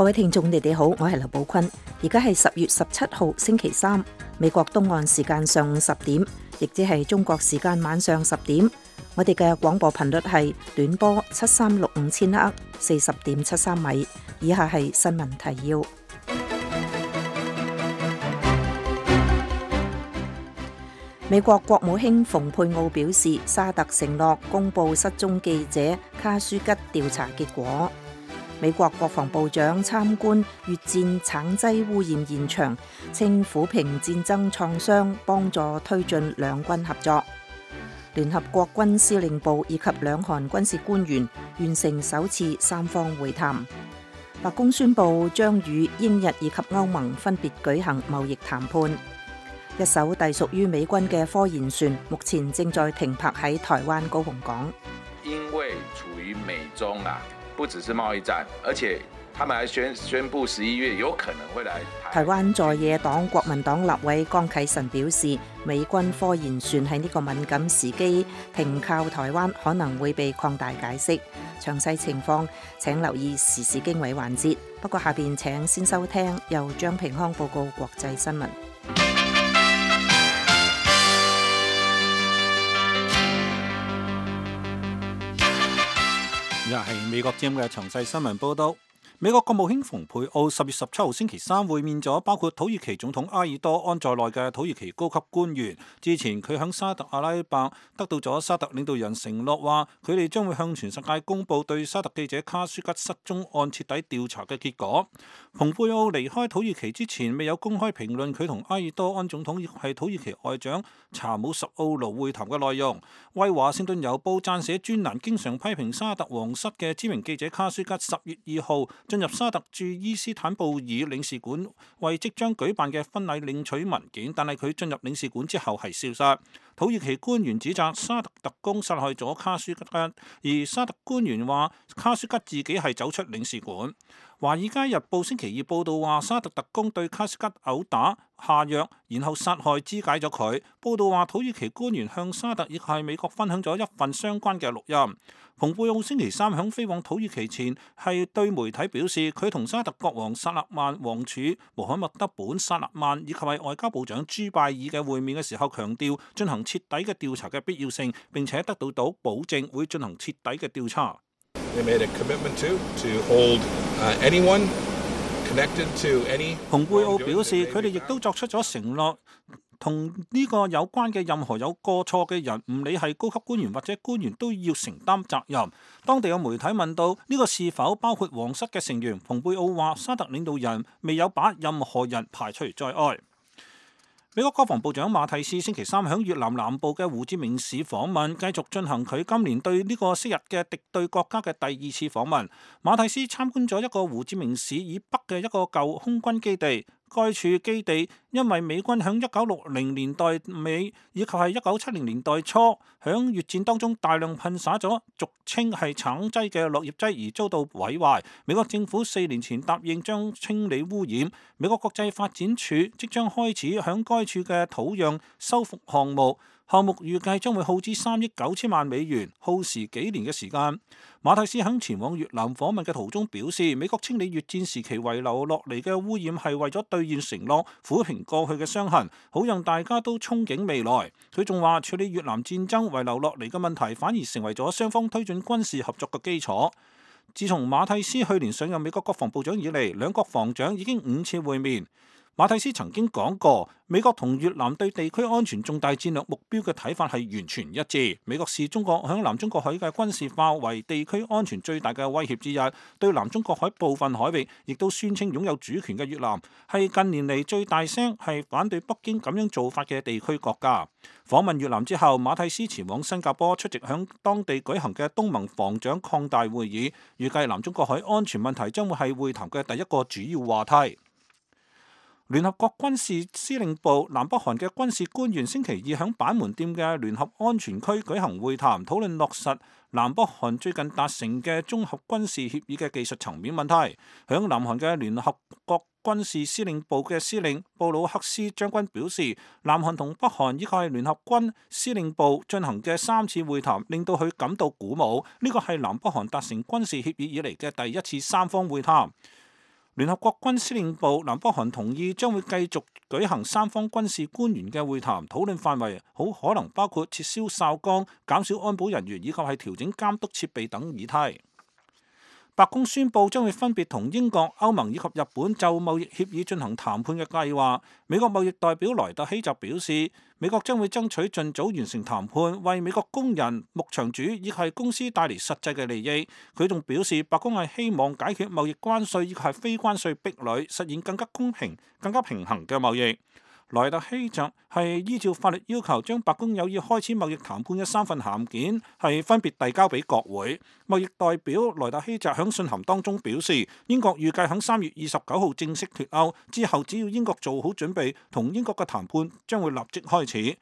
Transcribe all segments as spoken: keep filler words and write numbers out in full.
各位聽眾，你哋好，我係劉寶坤。而家係十月十七號星期三，美國東岸時間上午十點，亦即係中國時間晚上十點。我哋嘅廣播頻率係短波七三六五千赫，四十點七三米。以下係新聞提要。美國國務卿蓬佩奧表示，沙特承諾公布失蹤記者卡舒吉調查結果。美國國防部長參觀越戰橙劑污染現場，稱撫平戰爭創傷，幫助推進兩軍合作。聯合國軍司令部以及兩韓軍事官員完成首次三方會談。白宮宣布將與英日以及歐盟分別舉行貿易談判。一艘隸屬於美軍嘅科研船，目前正在停泊喺台灣高雄港。因為處於美中啊，不只是貿易戰，而且他們還宣宣布十一月有可能會來台。台灣在野黨國民黨立委江啟臣表示，美軍科研船喺呢個敏感時機停靠台灣，可能會被擴大解釋。詳細情況請留意時事經緯環節。不過下邊請先收聽由張平康報告國際新聞。又係美國之音嘅詳細新聞報道。美國國務卿蓬佩奧十月十七號星期三會面咗包括土耳其總統埃爾多安在內嘅土耳其高級官員。之前佢響沙特阿拉伯得到咗沙特領導人承諾，話佢哋將會向全世界公布對沙特記者卡舒吉失蹤案徹底調查嘅結果。蓬佩奧離開土耳其之前未有公開評論佢同埃爾多安總統亦係土耳其外長查姆什奧盧會談嘅內容。為華盛頓郵報撰寫專欄經常批評沙特皇室嘅知名記者卡舒吉十月二號進入沙特駐伊斯坦布爾領事館，為即將舉辦嘅婚禮領取文件，但係佢進入領事館之後係消失。土耳其官員指責沙特特工殺害咗卡舒吉，而沙特官員話卡舒吉自己係走出領事館。華爾街日報星期二報道話，沙特特工對卡舒吉毆打下藥，然後殺害肢解咗佢。報道話，土耳其官員向沙特亦係美國分享咗一份相關嘅錄音。蓬佩奧星期三響飛往土耳其前係對媒體表示，佢同沙特國王薩勒曼王儲穆罕默德本薩勒曼以及係外交部長朱拜爾嘅會面嘅時候，強調進行徹底嘅調查嘅必要性，並且得到到保證會進行徹底嘅調查。They made a commitment to to hold anyone connected to any。蓬佩奧表示，佢哋亦都作出咗承諾，同呢個有關嘅任何有過錯嘅人，唔理係高級官員或者官員，都要承擔責任。當地有媒體問到呢個是否包括皇室嘅成員，蓬佩奧話沙特領導人未有把任何人排除在外。美國國防部長馬蒂斯星期三響越南南部嘅胡志明市訪問，繼續進行佢今年對呢個昔日嘅敵對國家嘅第二次訪問。馬蒂斯參觀咗一個胡志明市以北嘅一個舊空軍基地。該處基地因為美軍響一九六零年代尾以及係一九七零年代初響越戰當中大量噴灑咗俗稱係橙劑嘅落葉劑而遭到毀壞。美國政府四年前答應將清理污染。美國國際發展署即將開始響該處嘅土壤修復項目。項目預計將會耗資三億九千萬美元，耗時幾年嘅時間。馬蒂斯喺前往越南訪問嘅途中表示，美國清理越戰時期遺留落嚟嘅污染係為咗兌現承諾，撫平過去嘅傷痕，好讓大家都憧憬未來。佢仲話，處理越南戰爭遺留落嚟嘅問題，反而成為咗雙方推進軍事合作嘅基礎。自從馬蒂斯去年上任美國國防部長以嚟，兩國防長已經五次會面。馬蒂斯曾經講過，美國同越南對地區安全重大戰略目標嘅睇法係完全一致。美國視中國響南中國海嘅軍事化為地區安全最大嘅威脅之一。對南中國海部分海域亦都宣稱擁有主權嘅越南，係近年嚟最大聲係反對北京咁樣做法嘅地區國家。訪問越南之後，馬蒂斯前往新加坡出席響當地舉行嘅東盟防長擴大會議，預計南中國海安全問題將會係會談嘅第一個主要話題。聯合國軍事司令部南北韓嘅軍事官員星期二響板門店嘅聯合安全區舉行會談，討論落實南北韓最近達成嘅綜合軍事協議嘅技術層面問題。響南韓嘅聯合國軍事司令部嘅司令布魯克斯將軍表示，南韓同北韓依靠聯合軍司令部進行嘅三次會談，令到佢感到鼓舞。呢個係南北韓達成軍事協議以嚟嘅第一次三方會談。聯合國軍司令部南北韓同意將會繼續舉行三方軍事官員嘅會談，討論範圍好可能包括撤銷哨崗、減少安保人員以及係調整監督設備等議題。白宮宣布將會分別同英國、歐盟以及日本就貿易協議進行談判嘅計劃。美國貿易代表萊特希就表示，美國將會爭取盡早完成談判，為美國工人、牧場主以及係公司帶嚟實際嘅利益。佢仲表示，白宮係希望解決貿易關稅以及係非關稅壁壘，實現更加公平、更加平衡嘅貿易。萊特希就係依照法律要求，將白宮有意開始貿易談判嘅三份函件係分別遞交俾國會。貿易代表萊特希就喺信函當中表示，英國預計喺三月二十九號正式脫歐之後，只要英國做好準備，同英國嘅談判將會立即開始。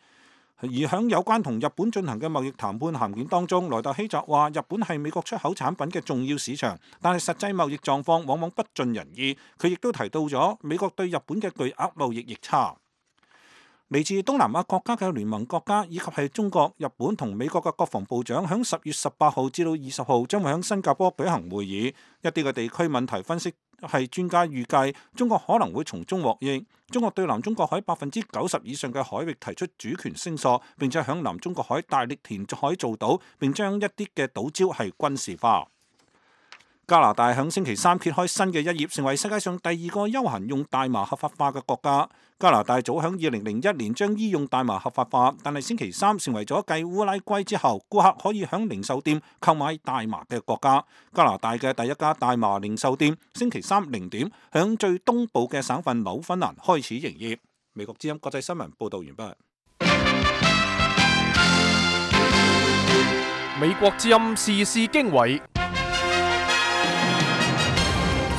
而喺有關同日本進行嘅貿易談判函件當中，萊特希就話日本係美國出口產品嘅重要市場，但係實際貿易狀況往往不盡人意。佢亦都提到咗美國對日本嘅巨額貿易逆差。嚟自東南亞國家嘅聯盟國家以及係中國、日本同美國嘅國防部長，響十月十八號至到二十號將會喺新加坡舉行會議。一啲嘅地區問題分析係專家預計，中國可能會從中獲益。中國對南中國海百分之九十以上嘅海域提出主權聲索，並且響南中國海大力填海造島，並將一啲嘅島礁係軍事化。加拿大響星期三揭開新嘅一頁，成為世界上第二個休閒用大麻合法化嘅國家。加拿大早響二零零一年將醫用大麻合法化，但係星期三成為咗繼烏拉圭之後，顧客可以響零售店購買大麻嘅國家。加拿大嘅第一家大麻零售店星期三零點響最東部嘅省份紐芬蘭開始營業。美國之音國際新聞報道完畢。美國之音時事經緯。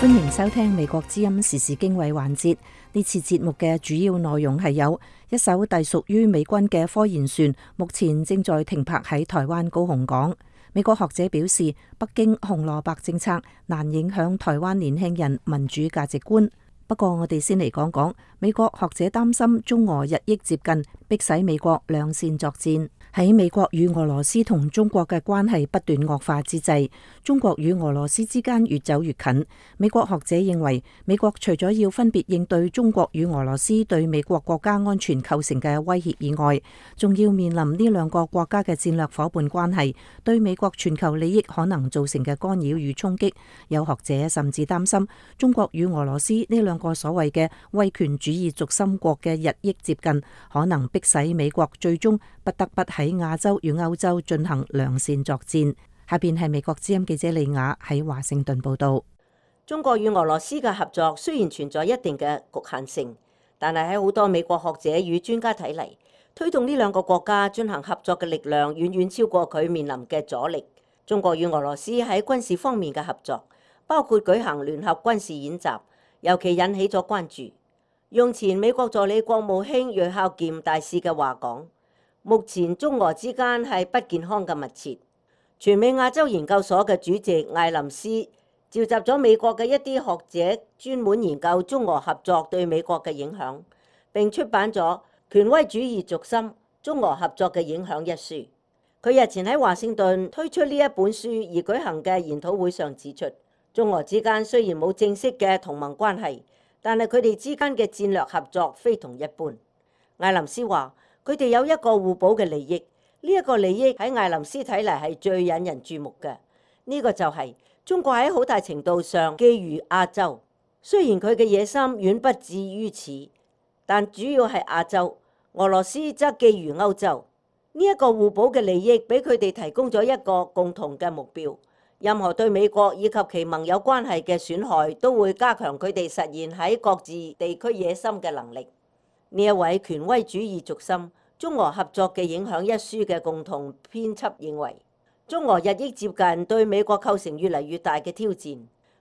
歡迎收聽美國之音時事經緯環節。呢次節目嘅主要內容係有一艘隸屬於美軍嘅科研船，目前正在停泊喺台灣高雄港。美國學者表示，北京紅蘿蔔政策難影響台灣年輕人民主價值觀。不過我哋先嚟講講，美國學者擔心中俄日益接近，迫使美國兩線作戰。喺美國與俄羅斯同中國嘅關係不斷惡化之際，中國與俄羅斯之間越走越近。美國學者認為，美國除咗要分別應對中國與俄羅斯對美國國家安全構成嘅威脅以外，仲要面臨呢兩個國家嘅戰略夥伴關係對美國全球利益可能造成嘅干擾與衝擊。有學者甚至擔心，中國與俄羅斯呢兩個所謂嘅威權主義軸心國嘅日益接近，可能迫使美國最終不得不喺亞洲與歐洲進行兩線作戰。下邊係美國之音記者李雅喺華盛頓報道。中國與俄羅斯嘅合作雖然存在一定嘅局限性，但係喺好多美國學者與專家睇嚟，推動呢兩個國家進行合作嘅力量遠遠超過佢面臨嘅阻力。中國與俄羅斯喺軍事方面嘅合作，包括舉行聯合軍事演習，尤其引起咗關注。用前美國助理國務卿芮孝儉大使嘅話講，目前中俄之間係不健康嘅密切。全美亞洲研究所嘅主席艾林斯召集咗美國嘅一啲學者，專門研究中俄合作對美國嘅影響，並出版咗《權威主義軸心：中俄合作嘅影響》一書。佢日前喺華盛頓推出呢一本書而舉行嘅研討會上指出，中俄之間雖然冇正式嘅同盟關係，但係佢哋之間嘅戰略合作非同一般。艾林斯話，佢哋有一個互補嘅利益，呢、這、一個利益喺艾林斯睇嚟係最引人注目嘅。呢、這個就係中國喺好大程度上覬覦亞洲，雖然佢嘅野心遠不至於此，但主要係亞洲。俄羅斯則覬覦歐洲。呢、這、一個互補嘅利益俾佢哋提供咗一個共同嘅目標。任何對美國以及其盟友關係嘅損害，都會加強佢哋實現喺各自地區野心嘅能力。呢一位權威主義軸心中俄合作嘅影響一書嘅共同編輯認為，中俄日益接近對美國構成越嚟越大嘅挑戰。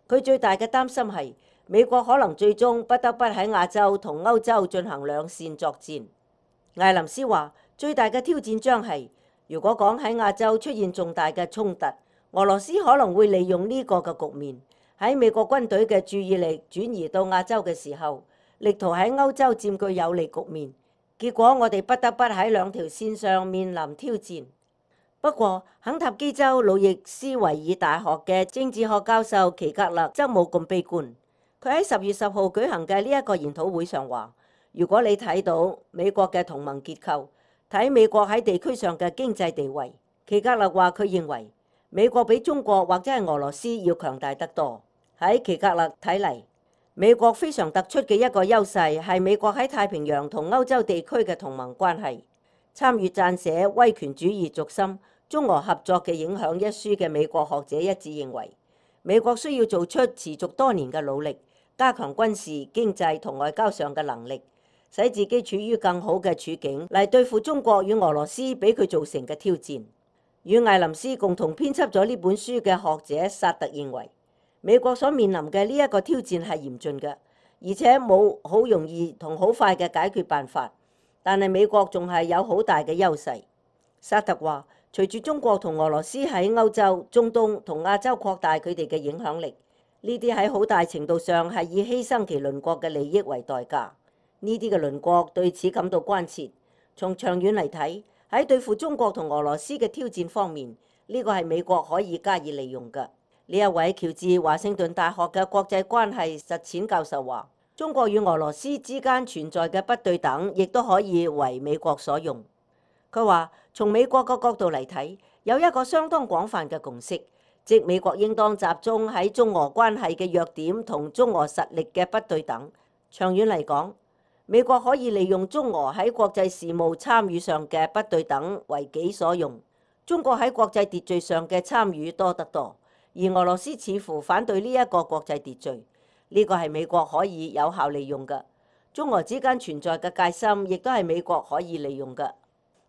佢最大嘅擔心係美國可能最終不得不喺亞洲同歐洲進行兩線作戰。艾林斯話，最大嘅挑戰將係，如果講喺亞洲出現重大嘅衝突，俄羅斯可能會利用呢個嘅局面，喺美國軍隊嘅注意力轉移到亞洲嘅時候，力圖喺歐洲佔據有利局面，結果我哋不得不喺兩條線上面臨挑戰。不過，肯塔基州路易斯維爾大學嘅政治學教授奇格勒則冇咁悲觀。佢喺十月十號舉行嘅呢一個研討會上話，如果你睇到美國嘅同盟結構，睇美國喺地區上嘅經濟地位，奇格勒話佢認為美國比中國或者係俄羅斯要強大得多。喺奇格勒睇嚟，美國非常突出嘅一個優勢係美國喺太平洋同歐洲地區嘅同盟關係。參與撰寫《威權主義軸心：中俄合作嘅影響》一書嘅美國學者一致認為，美國需要做出持續多年嘅努力，加強軍事、經濟同外交上嘅能力，使自己處於更好嘅處境嚟對付中國與俄羅斯俾佢造成嘅挑戰。與艾林斯共同編輯咗呢本書嘅學者薩特認為，美國所面臨嘅呢一個挑戰係嚴峻嘅，而且冇好容易同好快嘅解決辦法。但係美國仲係有好大嘅優勢。薩特話，隨住中國同俄羅斯喺歐洲、中東同亞洲擴大佢哋嘅影響力，呢啲喺好大程度上係以犧牲其鄰國嘅利益為代價。呢啲嘅鄰國對此感到關切。從長遠嚟睇，喺對付中國同俄羅斯嘅挑戰方面，呢個係美國可以加以利用嘅。呢一位喬治華盛頓大學嘅國際關係實踐教授話，中國與俄羅斯之間存在嘅不對等，亦都可以為美國所用。佢話，從美國嘅角度嚟睇，有一個相當廣泛嘅共識，即美國應當集中喺中俄關係嘅弱點同中俄實力嘅不對等。長遠嚟講，美國可以利用中俄喺國際事務參與上嘅不對等為己所用。中國喺國際秩序上嘅參與多得多，而俄羅斯似乎反對呢一個國際秩序。呢個係美國可以有效利用嘅。中俄之間存在嘅戒心，亦都係美國可以利用嘅。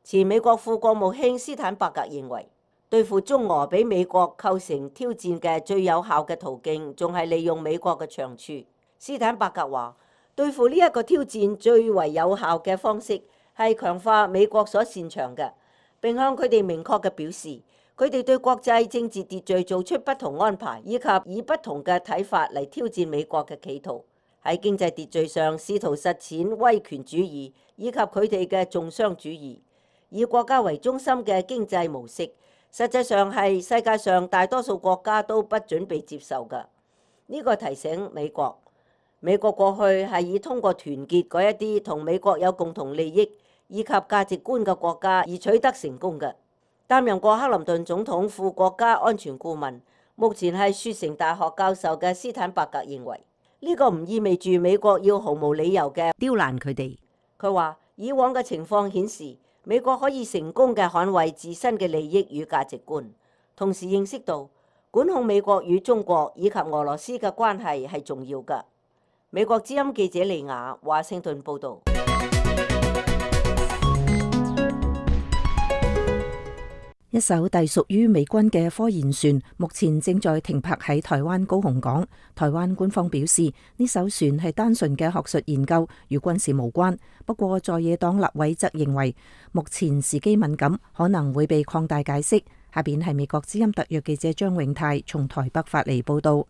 前美國副國務卿斯坦伯格認為，對付中俄俾美國構成挑戰嘅最有效嘅途徑，仲係利用美國嘅長處。斯坦伯格話，對付呢一個挑戰最為有效嘅方式係強化美國所擅長嘅，並向佢哋明確嘅表示，佢哋對國際政治秩序做出不同安排，以及以不同嘅睇法嚟挑戰美國嘅企圖。喺經濟秩序上試圖實踐威權主義，以及佢哋嘅重商主義，以國家為中心嘅經濟模式，實際上係世界上大多數國家都不準備接受嘅。呢個提醒美國，美國過去係以通過團結嗰一啲同美國有共同利益以及價值觀嘅國家而取得成功嘅。擔任過克林頓總統副國家安全顧問，目前係雪城大學教授嘅斯坦伯格認為，呢個唔意味住美國要毫無理由嘅刁難佢哋。佢話，以往嘅情況顯示，美國可以成功嘅捍衛自身嘅利益與價值觀，同時認識到管控美國與中國以及俄羅斯嘅關係係重要嘅。美國之音記者利亞華盛頓報導。一艘隸屬於美軍嘅科研船目前正在停泊喺台灣高雄港。台灣官方表示，呢艘船係單純嘅學術研究，與軍事無關。不過在野黨立委則認為，目前時機敏感，可能會被擴大解釋。下邊係美國之音特約記者張永泰從台北發嚟報道。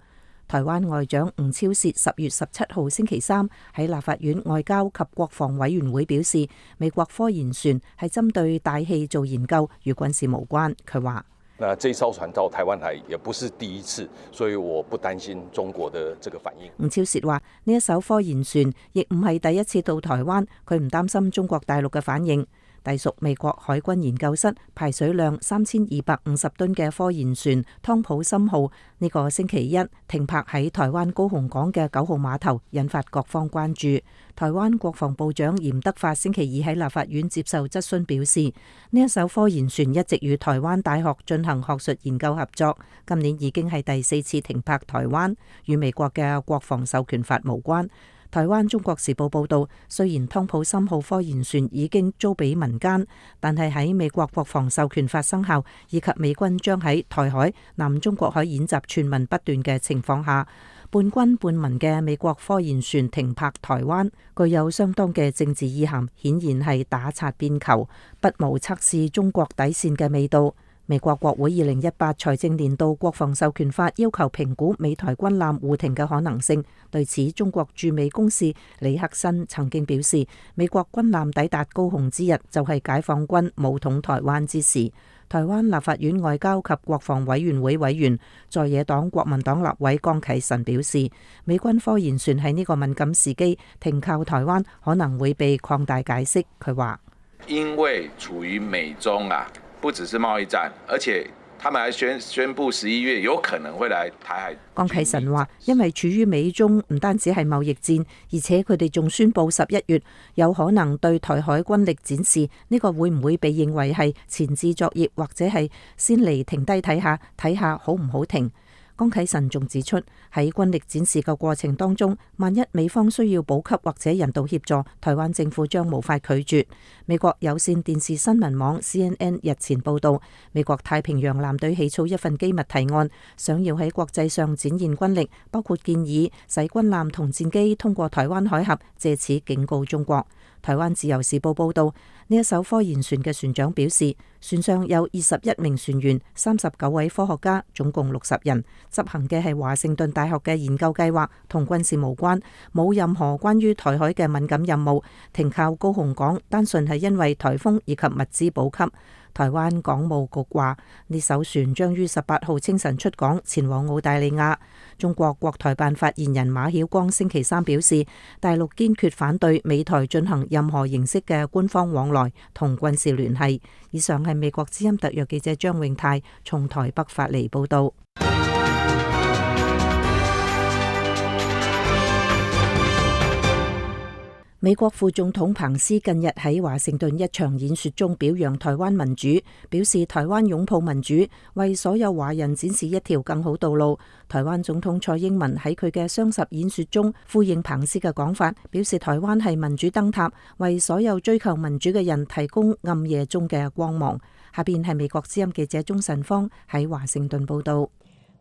台灣外長吳釗燮十月十七號星期三喺立法院外交及國防委員會表示，美國科研船係針對大氣做研究，與軍事無關。佢話：那這艘船到台灣來也不是第一次，所以我不擔心中國的這個反應。吳釗燮話：呢一艘科研船亦唔係第一次到台灣，佢唔擔心中國大陸嘅反應。隸屬美國海軍研究室排水量三千二百五十噸嘅科研船湯普森號呢個星期一停泊喺台灣高雄港嘅九號碼頭，引發各方關注。台灣國防部長嚴德發星期二喺立法院接受質詢表示，呢一艘科研船一直與台灣大學進行學術研究合作，今年已經係第四次停泊台灣，與美國嘅國防授權法無關。台灣中國時報報道，雖然湯普森號科研船已經租俾民間，但係喺美國國防授權法生效以及美軍將喺台海、南中國海演習傳聞不斷嘅情況下，半軍半民嘅美國科研船停泊台灣，具有相當嘅政治意涵，顯然係打擦邊球，不無測試中國底線嘅味道。美國國會二零一八財政年度國防授權法要求評估美台軍艦互停嘅可能性。對此，中國駐美公使李克新曾經表示，美國軍艦抵達高雄之日就係解放軍武統台灣之時。台灣立法院外交及國防委員會委員在野黨國民黨立委江啟臣表示，美軍科研船喺呢個敏感時機停靠台灣，可能會被擴大解釋。佢話：因為處於美中啊，不只是貿易戰，而且他們還宣宣布十一月有可能會來台海。江啟臣話：因為處於美中唔單止係貿易戰，而且佢哋仲宣布十一月有可能對台海軍力展示，呢個會唔會被認為係前置作業，或者係先嚟停低睇下，睇下好唔好停？江啟臣仲指出，喺軍力展示嘅過程當中，萬一美方需要補給或者人道協助，台灣政府將無法拒絕。美國有線電視新聞網 C N N 日前報道，美國太平洋艦隊起草一份機密提案，想要喺國際上展現軍力，包括建議使軍艦同戰機通過台灣海峽，借此警告中國。台灣自由時報報道，呢一艘科研船嘅船長表示，船上有二十一名船員、三十九位科學家，總共六十人，執行嘅係華盛頓大學嘅研究計劃，同軍事無關，冇任何關於台海嘅敏感任務。停靠高雄港，單純係因為颱風以及物資補給。台灣港務局話，呢艘船將於十八號清晨出港，前往澳大利亞。中國國台辦發言人馬曉光星期三表示，大陸堅決反對美台進行任何形式嘅官方往來同軍事聯繫。以上係美國之音特約記者張永泰從台北發嚟報道。美國副總統彭斯近日喺華盛頓一場演說中表揚台灣民主，表示台灣擁抱民主，為所有華人展示一條更好道路。台灣總統蔡英文喺佢嘅雙十演說中呼應彭斯嘅講法，表示台灣係民主燈塔，為所有追求民主嘅人提供暗夜中嘅光芒。下邊係美國之音記者鍾晨芳喺華盛頓報道。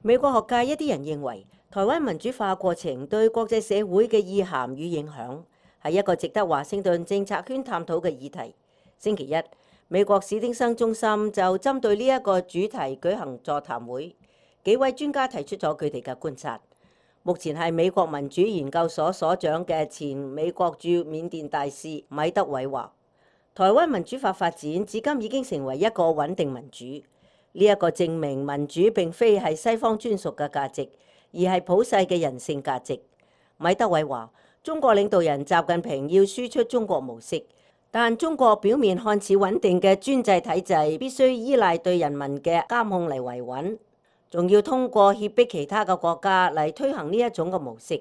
美國學界一啲人認為，台灣民主化過程對國際社會嘅意涵與影響，係一個值得華盛頓政策圈探討嘅議題。星期一，美國史丁生中心就針對呢一個主題舉行座談會，幾位專家提出咗佢哋嘅觀察。目前係美國民主研究所所長嘅前美國駐緬甸大使米德偉話，台灣民主化發展至今已經成為一個穩定民主。呢一個證明民主並非係西方專屬嘅價值，而係普世嘅人性價值。米德偉話，中國領導人習近平要輸出中國模式，但中國表面看似穩定嘅專制體制必須依賴對人民嘅監控嚟維穩，仲要通過脅迫其他嘅國家嚟推行呢一種嘅模式。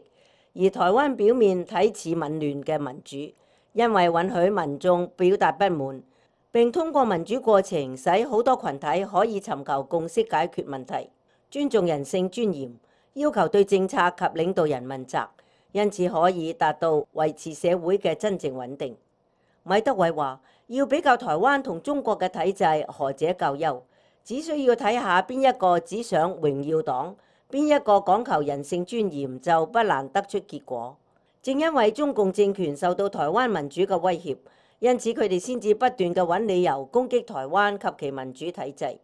而台灣表面睇似紊亂嘅民主，因為允許民眾表達不滿，並通過民主過程使好多群體可以尋求共識解決問題，尊重人性尊嚴，要求對政策及領導人問責，因此可以達到維持社會嘅真正穩定。米德偉話，要比較台灣同中國嘅體制，何者較優，只需要睇下邊一個只想榮耀黨，邊一個講求人性尊嚴，就不難得出結果。正因為中共政權受到台灣民主嘅威脅，因此佢哋先至不斷嘅揾理由攻擊台灣及其民主體制。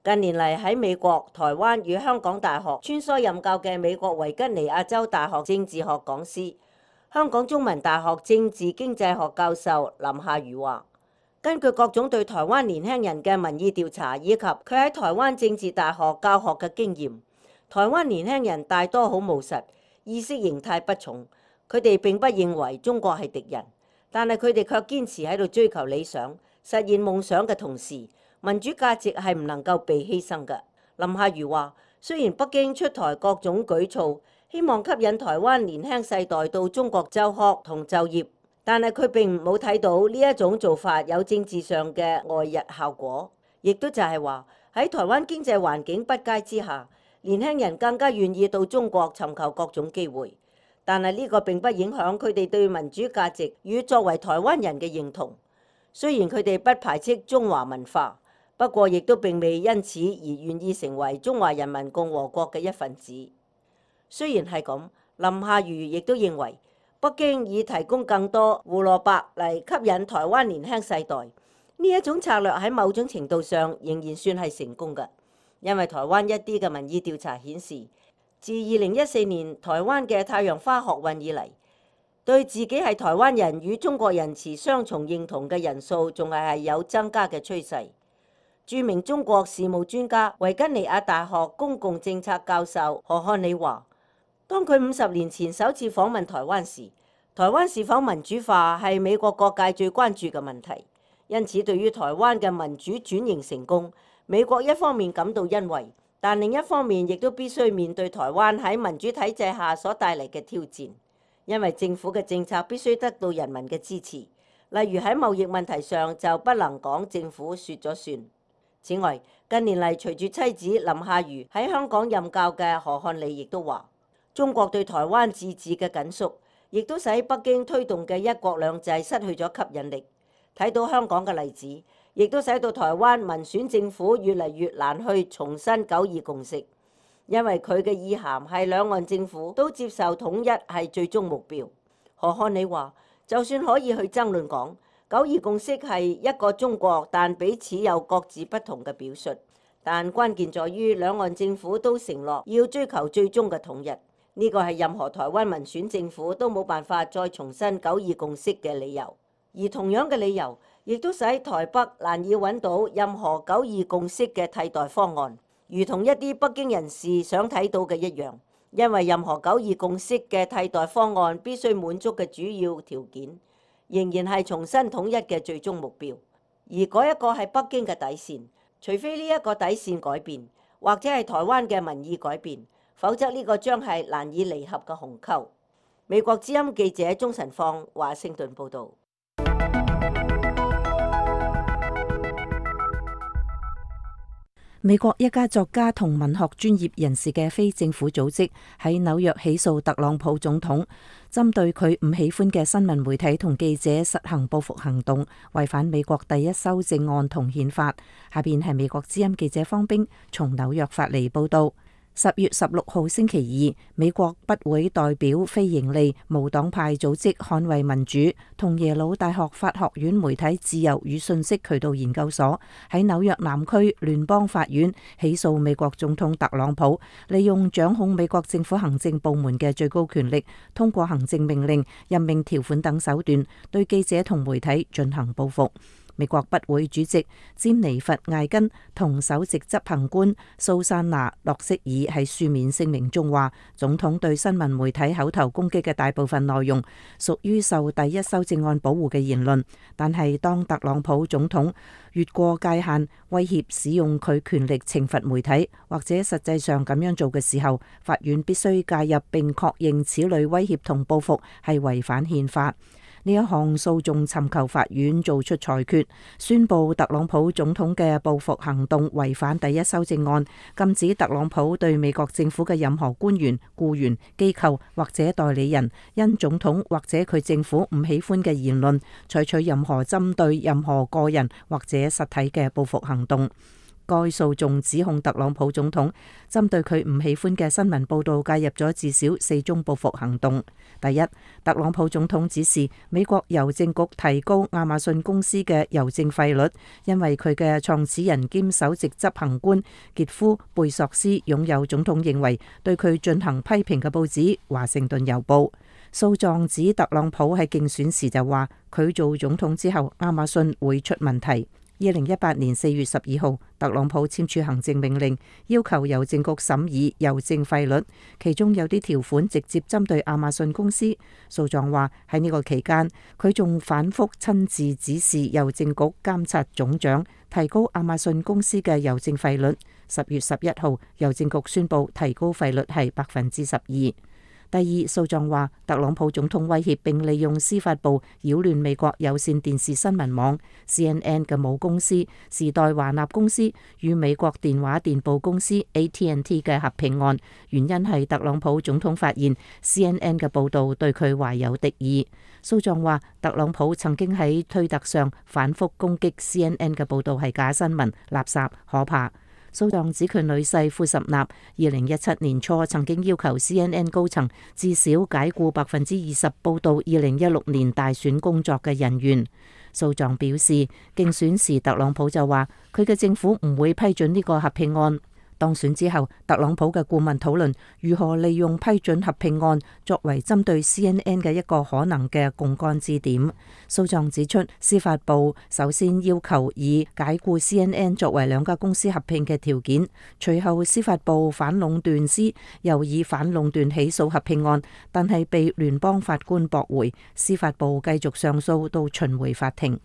近年嚟喺美國、台灣與香港大學穿梭任教嘅美國維吉尼亞州大學政治學講師、香港中文大學政治經濟學教授林夏如話，根據各種對台灣年輕人嘅民意調查，以及佢喺台灣政治大學教學嘅經驗，台灣年輕人大多好務實，意識形態不重，佢哋並不認為中國係敵人，但係佢哋卻堅持喺度追求理想、實現夢想嘅同時，民主價值係唔能夠被犧牲嘅。林夏如話，雖然北京出台各種舉措，希望吸引台灣年輕世代到中國就學同就業，但係佢並冇睇到呢一種做法有政治上嘅外溢效果，亦都就係話喺台灣經濟環境不佳之下，年輕人更加願意到中國尋求各種機會，但係呢個並不影響佢哋對民主價值與作為台灣人嘅認同。雖然佢哋不排斥中華文化，不過亦都並未因此而願意成為中華人民共和國嘅一份子。雖然係咁，林夏如亦都認為北京以提供更多胡蘿蔔嚟吸引台灣年輕世代，呢一種策略喺某種程度上仍然算係成功嘅，因為台灣一啲嘅民意調查顯示，自二零一四年台灣嘅太陽花學運以嚟，對自己係台灣人與中國人持雙重認同嘅人數仲係係有增加嘅趨勢。著名中國事務專家、維吉尼亞大學公共政策教授何漢里話，當佢五十年前首次訪問台灣時，台灣是否民主化係美國各界最關注嘅問題。因此，對於台灣嘅民主轉型成功，美國一方面感到欣慰，但另一方面亦都必須面對台灣喺民主體制下所帶嚟嘅挑戰。因為政府嘅政策必須得到人民嘅支持，例如喺貿易問題上就不能講政府說咗算。此外，近年嚟隨住妻子林夏如喺香港任教嘅何漢里亦都話，中國對台灣自治嘅緊縮，亦都使北京推動嘅一國兩制失去咗吸引力。睇到香港嘅例子，亦都使到台灣民選政府越嚟越難去重申九二共識，因為佢嘅意涵係兩岸政府都接受統一係最終目標。何漢里話，就算可以去爭論講九二共識係一個中國，但彼此有各自不同嘅表述，但關鍵在於兩岸政府都承諾要追求最終嘅統一。呢個係任何台灣民選政府都冇辦法再重申九二共識嘅理由。而同樣嘅理由，亦都使台北難以揾到任何九二共識嘅替代方案，如同一啲北京人士想睇到嘅一樣。因為任何九二共識嘅替代方案必須滿足嘅主要條件，仍然係重新統一嘅最終目標。而嗰一個係北京嘅底線，除非呢一個底線改變，或者係台灣嘅民意改變，否則呢個將係難以彌合嘅鴻溝。美國之音記者鍾晨放華盛頓報導。美國一家作家同文學專業人士嘅非政府組織喺紐約起訴特朗普總統，針對佢唔喜歡嘅新聞媒體同記者實行報復行動，違反美國第一修正案同憲法。下邊係美國之音記者方冰從紐約發嚟報道。十月十六號星期二，美國北會代表非營利無黨派組織捍衛民主同耶魯大學法學院媒體自由與信息渠道研究所喺紐約南區聯邦法院起訴美國總統特朗普，利用掌控美國政府行政部門嘅最高權力，通過行政命令、任命條款等手段，對記者同媒體進行報復。美國北會主席詹妮弗艾根同首席執行官蘇珊娜洛色爾喺書面聲明中話，總統對新聞媒體口頭攻擊嘅大部分內容屬於受第一修正案保護嘅言論，但係當特朗普總統越過界限，威脅使用佢權力懲罰媒體，或者實際上咁樣做嘅時候，法院必須介入並確認此類威脅同報復係違反憲法。呢一項訴訟尋求法院做出裁決，宣布特朗普總統嘅報復行動違反第一修正案，禁止特朗普對美國政府嘅任何官員、僱員、機構或者代理人，因總統或者佢政府唔喜歡嘅言論，採取任何針對任何個人或者實體嘅報復行動。該訴訟指控特朗普總統針對佢唔喜歡嘅新聞報導介入咗至少四宗報復行動。第一，特朗普總統指示美國郵政局提高亞馬遜公司嘅郵政費率，因為佢嘅創始人兼首席執行官傑夫貝索斯擁有總統認為對佢進行批評嘅報紙《華盛頓郵報》。訴狀指特朗普喺競選時就話佢做總統之後亞馬遜會出問題。二零一八年四月十二號，特朗普簽署行政命令，要求郵政局審議郵政費率，其中有啲條款直接針對亞馬遜公司。訴狀話喺呢個期間，佢仲反覆親自指示郵政局監察總長提高亞馬遜公司嘅郵政費率。十月十一號，郵政局宣布提高費率係百分之十二。第二，訴狀話特朗普總統威脅並利用司法部擾亂美國有線電視新聞網 C N N 嘅母公司時代華納公司與美國電話電報公司 A T and T 嘅合併案，原因係特朗普總統發現 C N N 嘅報導對佢懷有敵意。訴狀話特朗普曾經喺推特上反覆攻擊 C N N 嘅報導係假新聞、垃圾、可怕。訴狀指佢女婿庫什納二零一七年初曾經要求 C N N 高層至少解僱百分之二十報導二零一六年大選工作嘅人員。訴狀表示，競選時特朗普就話佢嘅政府唔會批准呢個合併案。當選之後，特朗普嘅顧問討論如何利用批准合併案作為針對 C N N 嘅一個可能嘅槓桿支點。訴狀指出，司法部首先要求以解僱 C N N 作為兩家公司合併嘅條件，隨後司法部反壟斷司又以反壟斷起訴合併案，但係被聯邦法官駁回，司法部繼續上訴到巡迴法庭。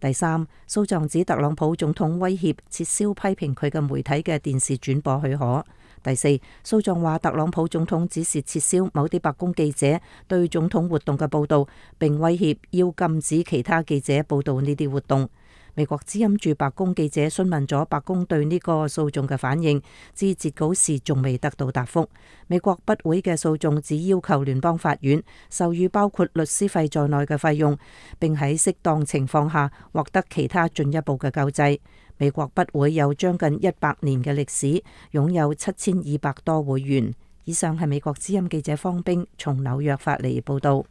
第三，訴狀指特朗普總統威脅撤銷批評佢嘅媒體嘅電視轉播許可。第四，訴狀話特朗普總統指示撤銷某啲白宮記者對總統活動嘅報導，並威脅要禁止其他記者報導呢啲活動。美國之音駐白宮記者詢問咗白宮對呢個訴訟嘅反應，至截稿時仲未得到答覆。美國不會嘅訴訟只要求聯邦法院授予包括律師費在內嘅費用，並喺適當情況下獲得其他進一步嘅救濟。美國不會有將近一百年嘅歷史，擁有七千二百多會員。以上係美國之音記者方冰從紐約發嚟報道。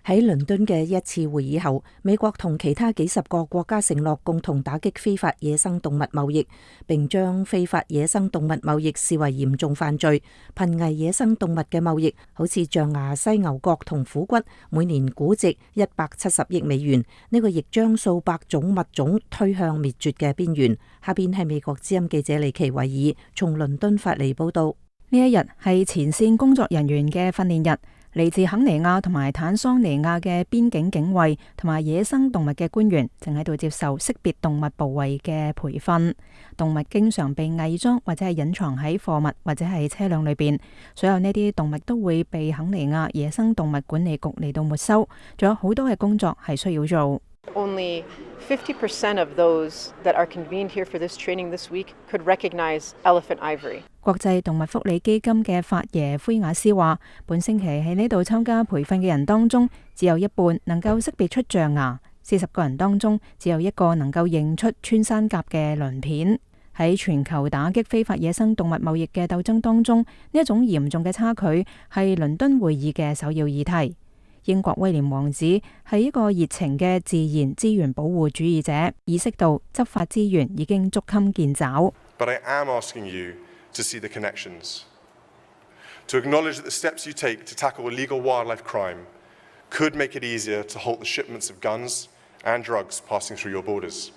喺倫敦嘅一次會議後，美國同其他幾十個國家承諾共同打擊非法野生動物貿易，並將非法野生動物貿易視為嚴重犯罪。瀕危野生動物嘅貿易，好似象牙、犀牛角同虎骨，每年估值一百七十億美元，呢個亦將數百種物種推向滅絕嘅邊緣。下邊係美國之音記者李奇維爾從倫敦發嚟報道。呢一日係前線工作人員嘅訓練日。嚟自肯尼亞同埋坦桑尼亞嘅邊境警衛同埋野生動物嘅官員，正喺度接受識別動物部位嘅培訓。動物經常被偽裝或者係隱藏喺貨物或者係車輛裏邊，所有呢啲動物都會被肯尼亞野生動物管理局嚟到沒收。仲有好多嘅工作係需要做。Only fifty percent of those that are convened here for this training this week could recognize elephant ivory. 國際動物福利基金嘅法爺菲亞斯話，本星期喺呢度參加培訓嘅人當中，只有一半能夠識別出象牙，四十個人當中只有一個能夠認出穿山甲嘅鱗片。喺全球打擊非法野生動物貿易嘅鬥爭當中，呢一種嚴重嘅差距係倫敦會議嘅首要議題。英國威廉王子係一個熱情嘅自然資源保護主義者，意識到執法資源已經捉襟見肘。But I am asking you to see the connections, to acknowledge that the steps you take to tackle illegal wildlife crime could make it easier to halt the shipments of guns and drugs passing through your borders.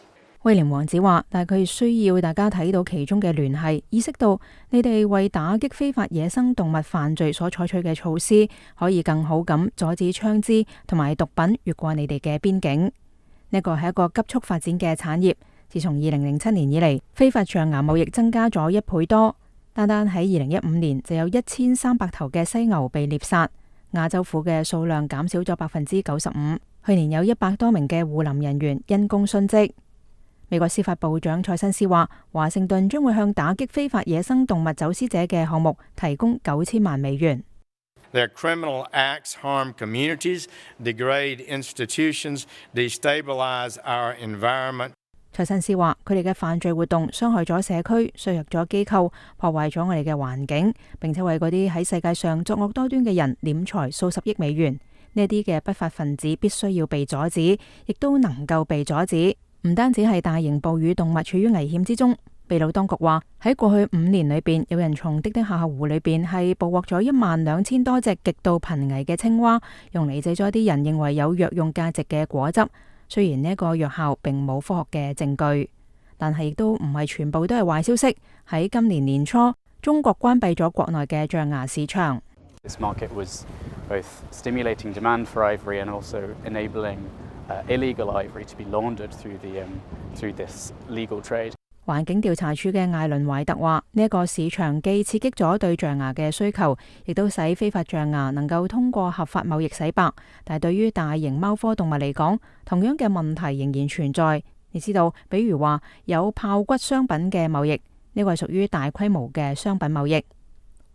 威廉王子話，但係佢需要大家睇到其中嘅聯繫，意識到你哋為打擊非法野生動物犯罪所採取嘅措施，可以更好咁阻止槍支同埋毒品越過你哋嘅邊境。呢個係一個急速發展嘅產業。自從二零零七年以嚟，非法象牙貿易增加咗一倍多。單單喺二零一五年就有一千三百頭嘅犀牛被獵殺，亞洲虎嘅數量減少咗百分之九十五。去年有一百多名嘅護林人員因公殉職。美國司法部長蔡新斯話，華盛頓將會向打擊非法野生動物走私者嘅項目提供九千萬美元。Their criminal acts harm communities, degrade institutions, destabilize our environment. 蔡新斯話，佢哋嘅犯罪活動傷害咗社區，削弱咗機構，破壞咗我哋嘅環境，並且為嗰啲喺世界上作惡多端嘅人斂財數十億美元。呢啲嘅不法分子必須要被阻止，亦都能夠被阻止。唔單止係大型哺乳動物處於危險之中，秘魯當局話喺過去五年裏邊，有人從滴滴夏河湖裏邊係捕獲咗一萬兩千多隻極度瀕危嘅青蛙，用嚟製作一啲人認為有藥用價值嘅果汁。雖然呢個藥效並冇科學嘅證據，但係亦都唔係全部都係壞消息。喺今年年初，中國關閉咗國內嘅象牙市場。This market was both stimulating demand for ivory and also enabling Uh, illegal ivory to be laundered through the um, through this legal trade. 環境調查處嘅艾倫懷特話：呢、這、一個市場既刺激咗對象牙嘅需求，亦都使非法象牙能夠通過合法貿易洗白。但係對於大型貓科動物嚟講，同樣嘅問題仍然存在。你知道，比如話有豹骨商品嘅貿易，呢、這個係屬於大規模嘅商品貿易。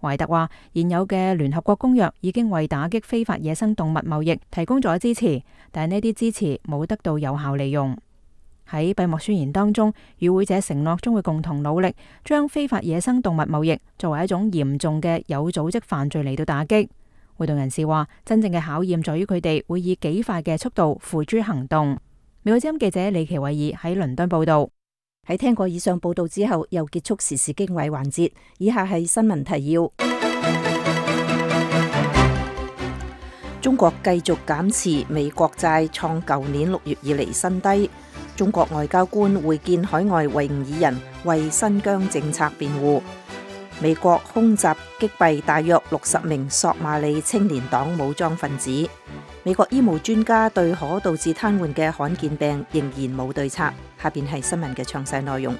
懷特話：現有嘅聯合國公約已經為打擊非法野生動物貿易提供咗支持，但係呢啲支持冇得到有效利用。喺閉幕宣言當中，與會者承諾將會共同努力，將非法野生動物貿易作為一種嚴重嘅有組織犯罪嚟到打擊。活動人士話：真正嘅考驗在於佢哋會以幾快嘅速度付諸行動。美國之音記者李奇偉爾喺倫敦報道。喺聽過以上報道之後，又結束時事經緯環節。以下係新聞提要：中國繼續減持美國債，創舊年六月以嚟新低。中國外交官會見海外維吾爾人，為新疆政策辯護。美國空襲擊斃大約六十名索馬里青年黨武裝分子。美國醫務專家對可導致癱瘓嘅罕見病仍然冇對策。下邊係新聞嘅詳細內容。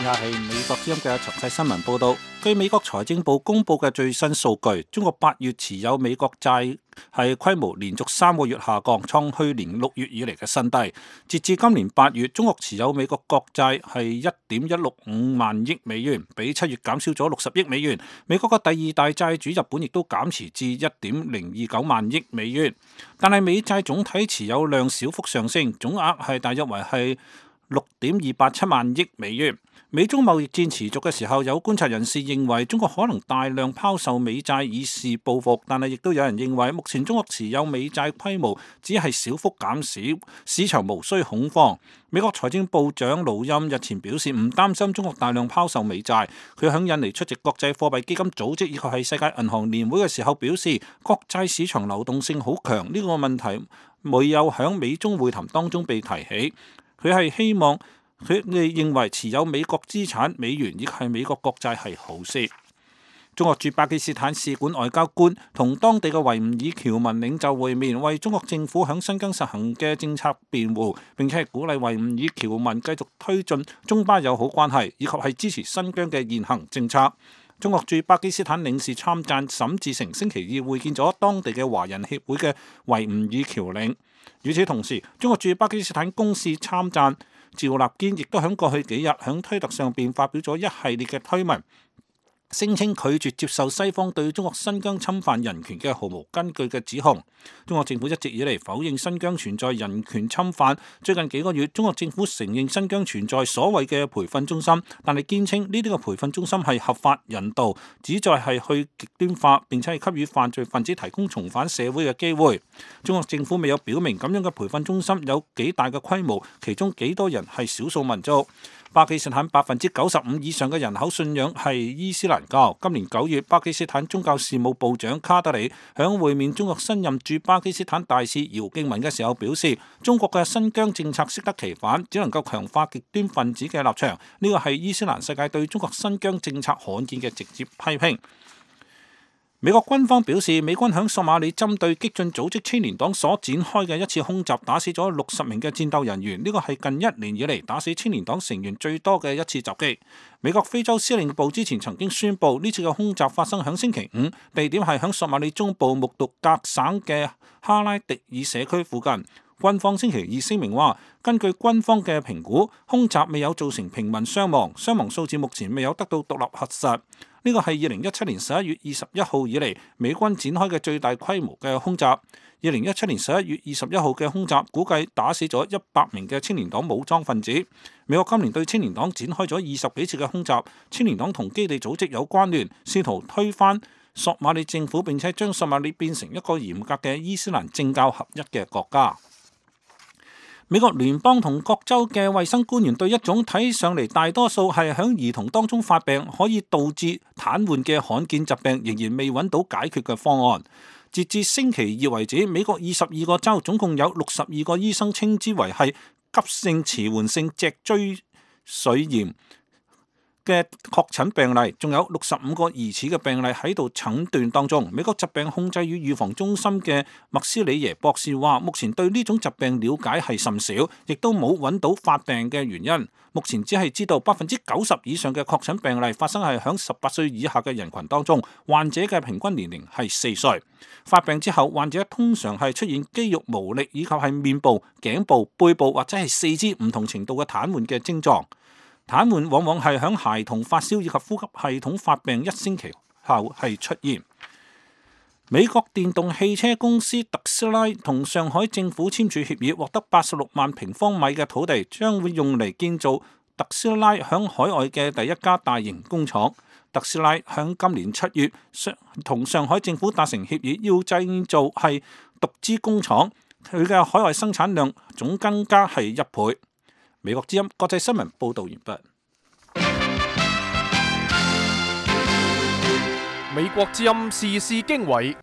以下係美國之音嘅詳細新聞報道。據美國財政部公布嘅最新數據，中國八月持有美國債係規模連續三個月下降，創去年六月以嚟嘅新低。截至今年八月，中國持有美國國債係一點一六五萬億美元，比七月減少咗六十億美元。美國嘅第二大債主日本亦都減持至一點零二九萬億美元，但係美債總體持有量小幅上升，總額係大約為係六點二八七萬億美元。美中貿易戰持續嘅時候，有觀察人士認為中國可能大量拋售美債以示報復，但係亦都有人認為目前中國持有美債規模只係小幅減少，市場無需恐慌。美國財政部長盧欽日前表示唔擔心中國大量拋售美債。佢喺印尼出席國際貨幣基金組織以及係世界銀行年會嘅時候表示，國債市場流動性好強，呢個問題未有喺美中會談當中被提起。佢係希望佢哋認為持有美國資產、美元亦係美國國債係好事。中國駐巴基斯坦使館外交官同當地嘅維吾爾僑民領袖會面，為中國政府響新疆實行嘅政策辯護，並且係鼓勵維吾爾僑民繼續推進中巴友好關係，以及係支持新疆嘅現行政策。中國駐巴基斯坦領事參贊沈志成星期二會見咗當地嘅華人協會嘅維吾爾僑領。與此同時，中國駐巴基斯坦公使參贊趙立堅亦都喺過去幾日喺推特上邊發表咗一系列嘅推文，聲稱拒絕接受西方對中國新疆侵犯人權嘅毫無根據嘅指控。中國政府一直以嚟否認新疆存在人權侵犯。最近幾個月，中國政府承認新疆存在所謂嘅培訓中心，但係堅稱呢啲嘅培訓中心係合法人道，旨在係去極端化並且係給予犯罪分子提供重返社會嘅機會。中國政府未有表明咁樣嘅培訓中心有幾大嘅規模，其中幾多人係少數民族。巴基斯坦百分之九十五以上嘅人口信仰係伊斯蘭教。今年九月，巴基斯坦宗教事務部長卡德里響會面中國新任駐巴基斯坦大使姚敬文嘅時候表示，中國嘅新疆政策適得其反，只能夠強化極端分子嘅立場。呢個係伊斯蘭世界對中國新疆政策罕見嘅直接批評。美國軍方表示，美軍響索馬里針對激進組織青年黨所展開嘅一次空襲，打死咗六十名嘅戰鬥人員。呢個係近一年以嚟打死青年黨成員最多嘅一次襲擊。美國非洲司令部之前曾經宣布，呢次嘅空襲發生響星期五，地點係響索馬里中部穆獨格省嘅哈拉迪爾社區附近。軍方星期二聲明話，根據軍方嘅評估，空襲未有造成平民傷亡，傷亡數字目前未有得到獨立核實。呢個係二零一七年十一月二十一號以嚟美軍展開嘅最大規模嘅空襲。二零一七年十一月二十一號嘅空襲估計打死咗一百名嘅青年黨武裝分子。美國今年對青年黨展開咗二十幾次嘅空襲，青年黨同基地組織有關聯，試圖推翻索馬里政府，並且將索馬里變成一個嚴格嘅伊斯蘭政教合一嘅國家。美國聯邦同各州嘅衛生官員對一種睇上嚟大多數係喺兒童當中發病，可以導致癱瘓嘅罕見疾病，仍然未揾到解決嘅方案。截至星期二為止，美國二十二個州總共有六十二個醫生稱之為係急性遲緩性脊椎髓炎嘅確診病例，仲有六十五個疑似嘅病例喺度診斷當中。美國疾病控制與預防中心嘅麥斯里耶博士話，目前對呢種疾病了解係甚少，亦都冇揾到發病嘅原因。目前只係知道百分之九十以上嘅確診病例發生係響十八歲以下嘅人群當中，患者嘅平均年齡係四歲。發病之後，患者通常係出現肌肉無力，以及係面部、頸部、背部或者係四肢唔同程度嘅癱瘓嘅症狀。癱瘓往往係響孩童發燒以及呼吸系統發病一星期後係出現。美國電動汽車公司特斯拉同上海政府簽署協議，獲得八十六萬平方米嘅土地，將會用嚟建造特斯拉響海外嘅第一家大型工廠。特斯拉響今年七月同上海政府達成協議，要製造係獨資工廠，佢嘅海外生產量總增加係一倍。美國之音國際新聞報導完畢。美國之音時事經緯，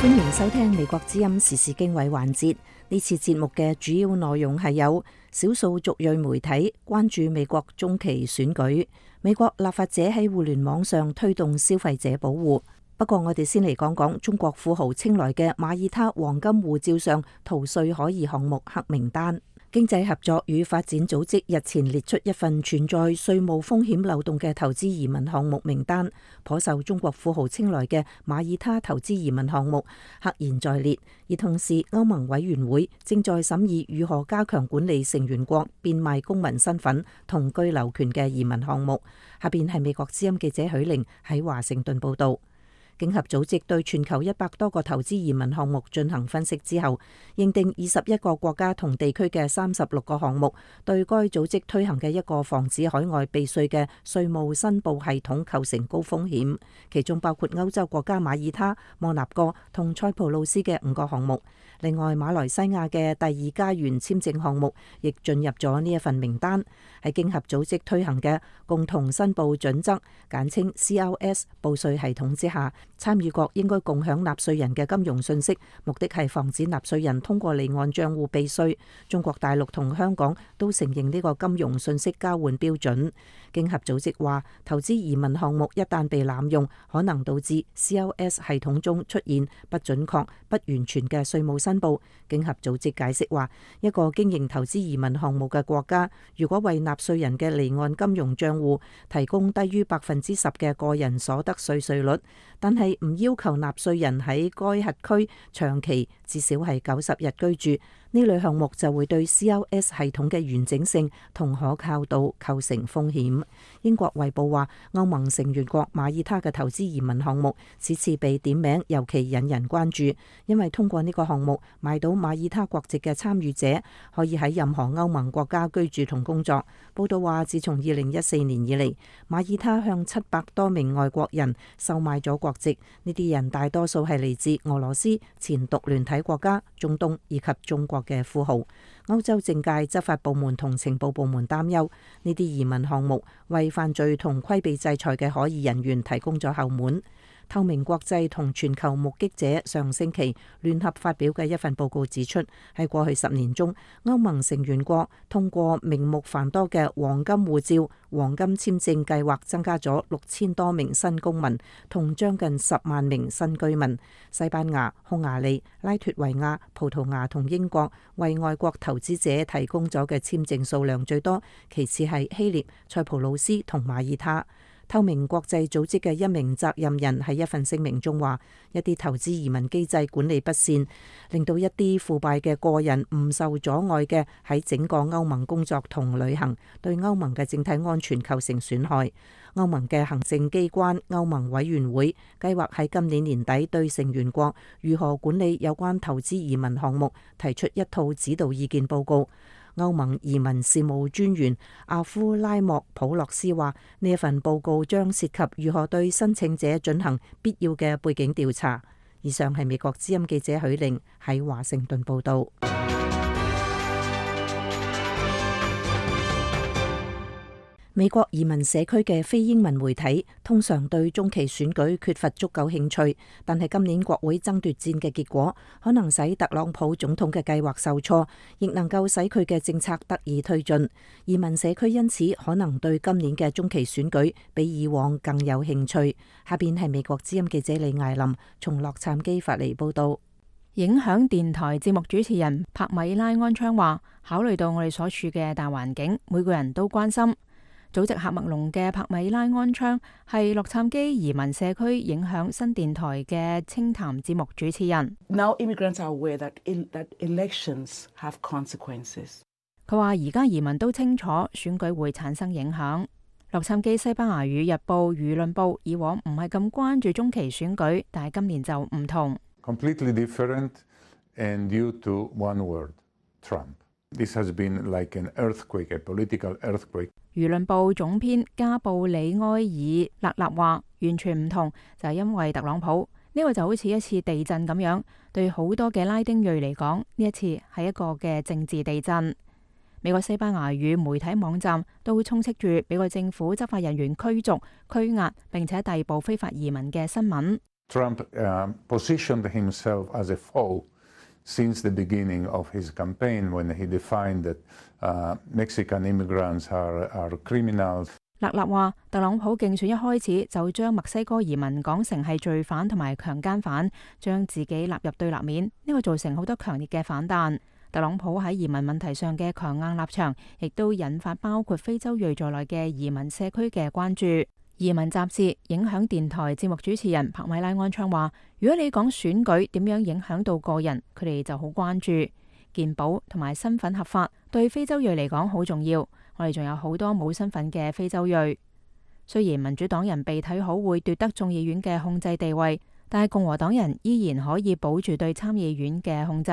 歡迎收聽美國之音時事經緯環節。呢次節目嘅主要內容係有少數族裔媒體關注美國中期選舉，美國立法者喺互聯網上推動消費者保護。不過我哋先嚟講講中國富豪青睞嘅馬耳他黃金護照上逃稅可疑項目黑名單。經濟合作與發展組織日前列出一份存在稅務風險漏洞嘅投資移民項目名單，頗受中國富豪青睞嘅馬耳他投資移民項目赫然在列。而同時，歐盟委員會正在審議如何加強管理成員國變賣公民身份同居留權嘅移民項目。下邊係美國之音記者許玲喺華盛頓報道。經合組織對全球一百多個投資移民項目進行分析之後，認定二十一個國家同地區嘅三十六個項目對該組織推行嘅一個防止海外避稅嘅稅務申報系統構成高風險，其中包括歐洲國家馬耳他、摩納哥同塞浦路斯嘅五個項目。另外，馬來西亞嘅第二家園簽證項目亦進入咗呢一份名單。喺經合組織推行嘅共同申報準則，簡稱 C R S 報稅系統之下，參與國應該共享納稅人嘅金融信息，目的係防止納稅人通過離岸賬戶避稅。中國大陸同香港都承認呢個金融信息交換標準。經合組織話，投資移民項目一旦被濫用，可能導致 C R S 系統中出現不準確、不完全嘅稅務申報。經合組織解釋話，一個經營投資移民項目嘅國家，如果為納稅人嘅離岸金融賬戶提供低於百分之十嘅個人所得稅稅率，但係唔要求納稅人喺該轄區長期至少係九十日居住，呢類項目就會對 C R S 系統嘅完整性同可靠度構成風險。英國衛報話，歐盟成員國馬耳他嘅投資移民項目此次被點名，尤其引人關注，因為通過呢個項目買到馬耳他國籍嘅參與者可以喺任何歐盟國家居住同工作。報道話，自從二零一四年以嚟，馬耳他向七百多名外國人售賣咗國籍，呢啲人大多數係嚟自俄羅斯、前獨聯體國家、中東以及中國嘅富豪。歐洲政界、執法部門同情報部門擔憂，呢啲移民項目為犯罪同規避制裁嘅可疑人員提供咗後門。透明國際同全球目擊者上星期聯合發表嘅一份報告指出，喺過去十年中，歐盟成員國通過名目繁多嘅黃金護照、黃金簽證計劃，增加咗六千多名新公民同將近十萬名新居民。西班牙、匈牙利、拉脫維亞、葡萄牙同英國為外國投資者提供咗嘅簽證數量最多，其次係希臘、塞浦路斯同馬耳他。透明國際組織嘅一名責任人喺一份聲明中話，一啲投資移民機制管理不善，令到一啲腐敗嘅個人唔受阻礙嘅喺整個歐盟工作同旅行，對歐盟嘅整體安全構成損害。歐盟嘅行政機關歐盟委員會計劃喺今年年底對成員國如何管理有關投資移民項目提出一套指導意見報告。歐盟移民事務專員阿夫拉莫普洛斯話，呢一份報告將涉及如何對申請者進行必要嘅背景調查。以上係美國之音記者許玲喺華盛頓報道。美國移民社區嘅非英文媒體通常對中期選舉缺乏足夠興趣，但係今年國會爭奪戰嘅結果可能使特朗普總統嘅計劃受挫，亦能夠使佢嘅政策得以推進。移民社區因此可能對今年嘅中期選舉比以往更有興趣。下邊係美國之音記者李艾琳從洛杉磯發嚟報道。影響電台節目主持人帕米拉安昌話，考慮到我哋所處嘅大環境，每個人都關心。祖籍喀麥隆嘅帕米拉安昌係洛杉磯移民社區影響新電台嘅清談節目主持人。Now immigrants are aware that that elections have consequences. 佢話而家移民都清楚選舉會產生影響。洛杉磯西班牙語日報輿論報以往唔係咁關注中期選舉，但係今年就唔同。Completely different and due to one word, Trump. This has been like an earthquake, a political earthquake. 輿論部總編加布里埃爾勒納話：完全唔同，就係因為特朗普呢個就好似一次地震咁樣，對好多嘅拉丁裔嚟講，呢一次係一個嘅政治地震。美國西班牙語媒體網站都充斥住美國政府執法人員驅逐、拘押並且逮捕非法移民嘅新聞。Trump uh, positioned himself as a foe since the beginning of his campaign when he defined that uh, Mexican immigrants are, are criminals. 勒納話：特朗普競選一開始就將墨西哥移民講成係罪犯同埋強姦犯，將自己納入對立面，呢個造成好多強烈嘅反彈。特朗普喺移民問題上嘅強硬立場，亦都引發包括非洲裔在內嘅移民社區嘅關注。移民雜誌影響電台節目主持人帕米拉安昌話：如果你講選舉點樣影響到個人，佢哋就好關注。健保同埋身份合法對非洲裔嚟講好重要。我哋仲有好多冇身份嘅非洲裔。雖然民主黨人被睇好會奪得眾議院嘅控制地位，但係共和黨人依然可以保住對參議院嘅控制。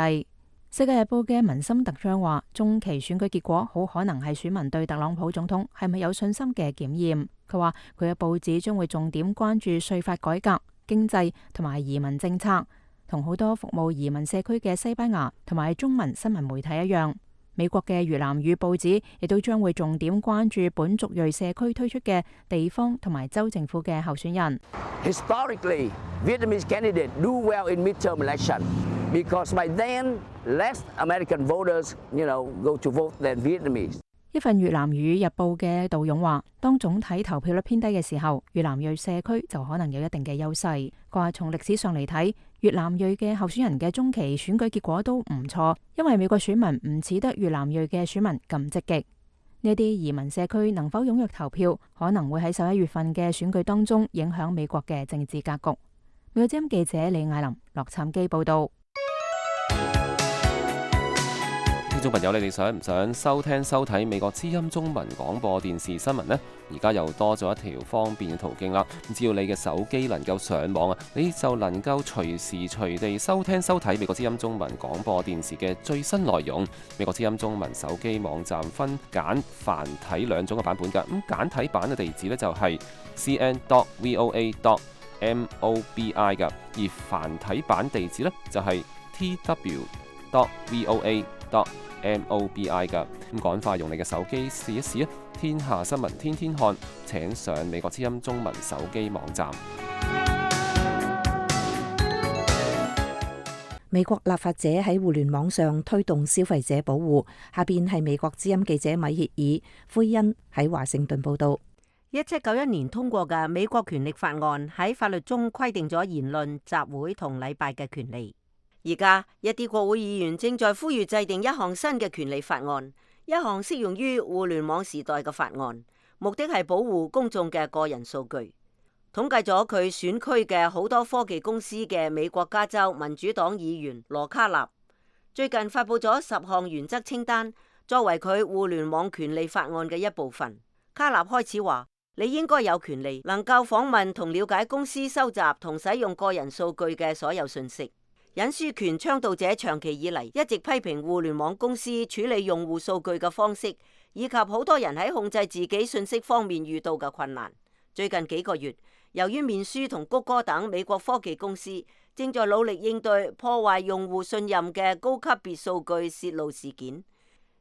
世界日報嘅文森特將話：中期選舉結果好可能係選民對特朗普總統係咪有信心嘅檢驗。佢話佢嘅報紙將會重點關注稅法改革、經濟同埋移民政策，同好多服務移民社區嘅西班牙同埋中文新聞媒體一樣。美國嘅越南語報紙亦都將會重點關注本族裔社區推出嘅地方同埋州政府嘅候選人。Historically, Vietnamese candidates do well in midterm election because by then less American voters, you know, go to vote than Vietnamese. 一份越南語日報嘅導勇話：當總體投票率偏低嘅時候，越南裔社區就可能有一定嘅優勢。佢話從歷史上嚟睇，越南裔嘅候選人嘅中期選舉結果都唔錯，因為美國選民唔似得越南裔嘅選民咁積極。呢啲移民社區能否踴躍投票，可能會喺十一月份嘅選舉當中影響美國嘅政治格局。美國之音記者李艾琳、洛杉磯報道。聽眾朋友，你哋想唔想收聽收睇美國之音中文廣播電視新聞呢？而家又多咗一條方便嘅途徑啦！只要你嘅手機能夠上網啊，你就能夠隨時隨地收聽收睇美國之音中文廣播電視嘅最新內容。美國之音中文手機網站分簡繁體兩種嘅版本㗎。咁簡體版嘅地址呢，就係 c n dot v o a dot m o b i 㗎，而繁體版地址呢，就係 t w dot v o a dot m o b i 㗎。咁趕快用你嘅手機試一試啊！天下新聞天天看，請上美國之音中文手機網站。美國立法者喺互聯網上推動消費者保護。下邊係美國之音記者米歇爾奎恩喺華盛頓報道。一七九一年通過嘅美國權力法案喺法律中規定咗言論、集會同禮拜嘅權利。而家一啲國會議員正在呼籲制定一項新嘅權利法案，一項適用於互聯網時代嘅法案，目的係保護公眾嘅個人數據。統計咗佢選區嘅好多科技公司嘅美國加州民主黨議員羅卡納，最近發佈咗十項原則清單，作為佢互聯網權利法案嘅一部分。卡納開始話：你應該有權利能夠訪問同了解公司收集同使用個人數據嘅所有信息。隱私權倡導者長期以嚟一直批評互聯網公司處理用戶數據嘅方式，以及好多人喺控制自己信息方面遇到嘅困難。最近幾個月，由於面書同谷歌等美國科技公司正在努力應對破壞用戶信任嘅高級別數據泄露事件，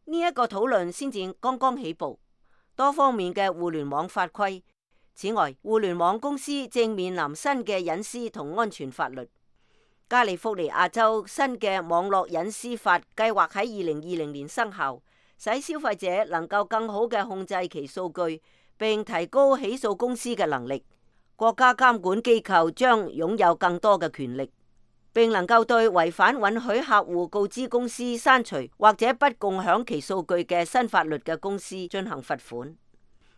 呢一個討論先至剛剛起步。多方面嘅互聯網法規。此外，互聯網公司正面臨新嘅隱私同安全法律。加利福尼亞州新嘅網絡隱私法計劃喺二零二零年生效，使消費者能夠更好嘅控制其數據，並提高起訴公司嘅能力。國家監管機構將擁有更多嘅權力，並能夠對違反允許客戶告知公司刪除或者不共享其數據嘅新法律嘅公司進行罰款。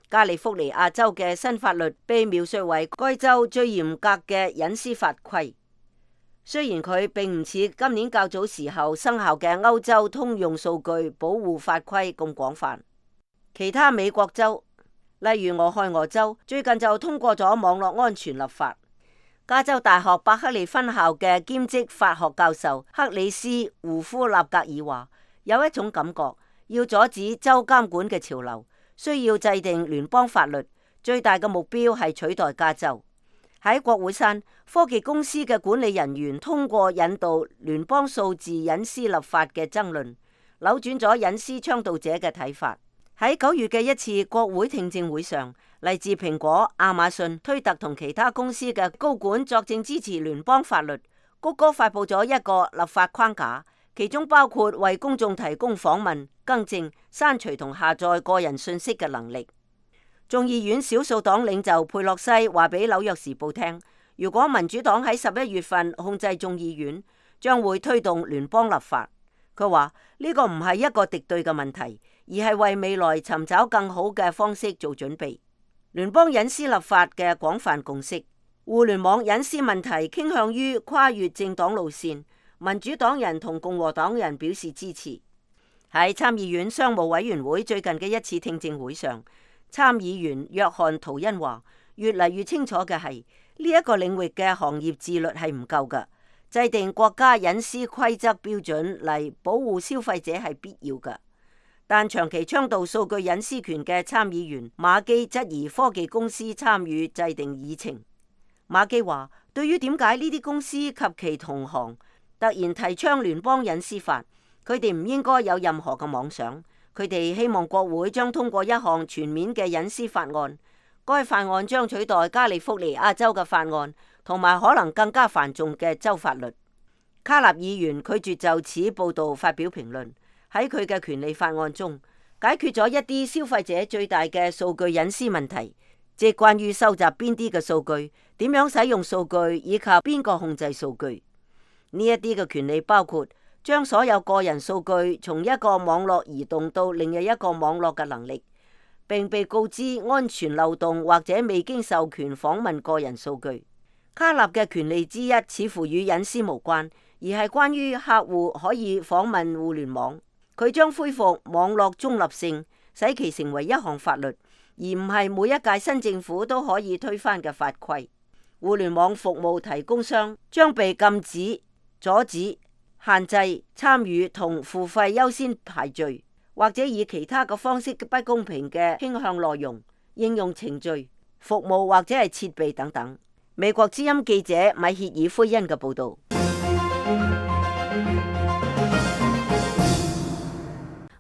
加利福尼亞州嘅新法律被描述為該州最嚴格嘅隱私法規。雖然佢並唔似今年較早時候生效嘅歐洲通用數據保護法規咁廣泛，其他美國州，例如俄亥俄州，最近就通過咗網絡安全立法。加州大學伯克利分校嘅兼職法學教授克里斯胡夫納格爾話：有一種感覺，要阻止州監管嘅潮流，需要制定聯邦法律，最大嘅目標係取代加州。喺國會山，科技公司嘅管理人員通過引導聯邦數字隱私立法嘅爭論，扭轉咗隱私倡導者嘅睇法。喺九月嘅一次國會聽證會上，嚟自蘋果、亞馬遜、推特同其他公司嘅高管作證支持聯邦法律。谷歌發佈咗一個立法框架，其中包括為公眾提供訪問、更正、刪除同下載個人信息嘅能力。眾議院少數黨領袖佩洛西話俾紐約時報聽，如果民主黨喺十一月份控制眾議院，將會推動聯邦立法。佢話呢個唔係一個敵對嘅問題，而係為未來尋找更好嘅方式做準備。聯邦隱私立法嘅廣泛共識，互聯網隱私問題傾向於跨越政黨路線，民主黨人同共和黨人表示支持。喺參議院商務委員會最近嘅一次聽證會上，參議員約翰圖恩話，越嚟越清楚嘅係呢一個領域嘅行業自律係唔夠㗎，制定國家隱私規則標準嚟保護消費者係必要㗎。但長期倡導數據隱私權嘅參議員馬基質疑科技公司參與制定議程。馬基話，對於點解呢啲公司及其同行突然提倡聯邦隱私法，佢哋唔應該有任何嘅妄想。佢哋希望國會將通過一項全面嘅隱私法案，該法案將取代加利福尼亞州嘅法案，同埋可能更加繁重嘅州法律。卡納議員拒絕就此報導發表評論。喺佢嘅權利法案中，解決咗一啲消費者最大嘅數據隱私問題，即係關於收集邊啲嘅數據、點樣使用數據以及邊個控制數據。呢一啲嘅權利包括將所有個人數據從一個網絡移動到另一個網絡嘅能力，並被告知安全漏洞或者未經授權訪問個人數據。卡納嘅權利之一似乎與隱私無關，而係關於客戶可以訪問互聯網。佢將恢復網絡中立性，使其成為一項法律，而唔係每一屆新政府都可以推翻嘅法規。互聯網服務提供商將被禁止、阻止、限制參與同付費優先排序，或者以其他嘅方式不公平嘅傾向內容、應用程序、服務或者係設備等等。美國之音記者米歇爾奎恩嘅報導。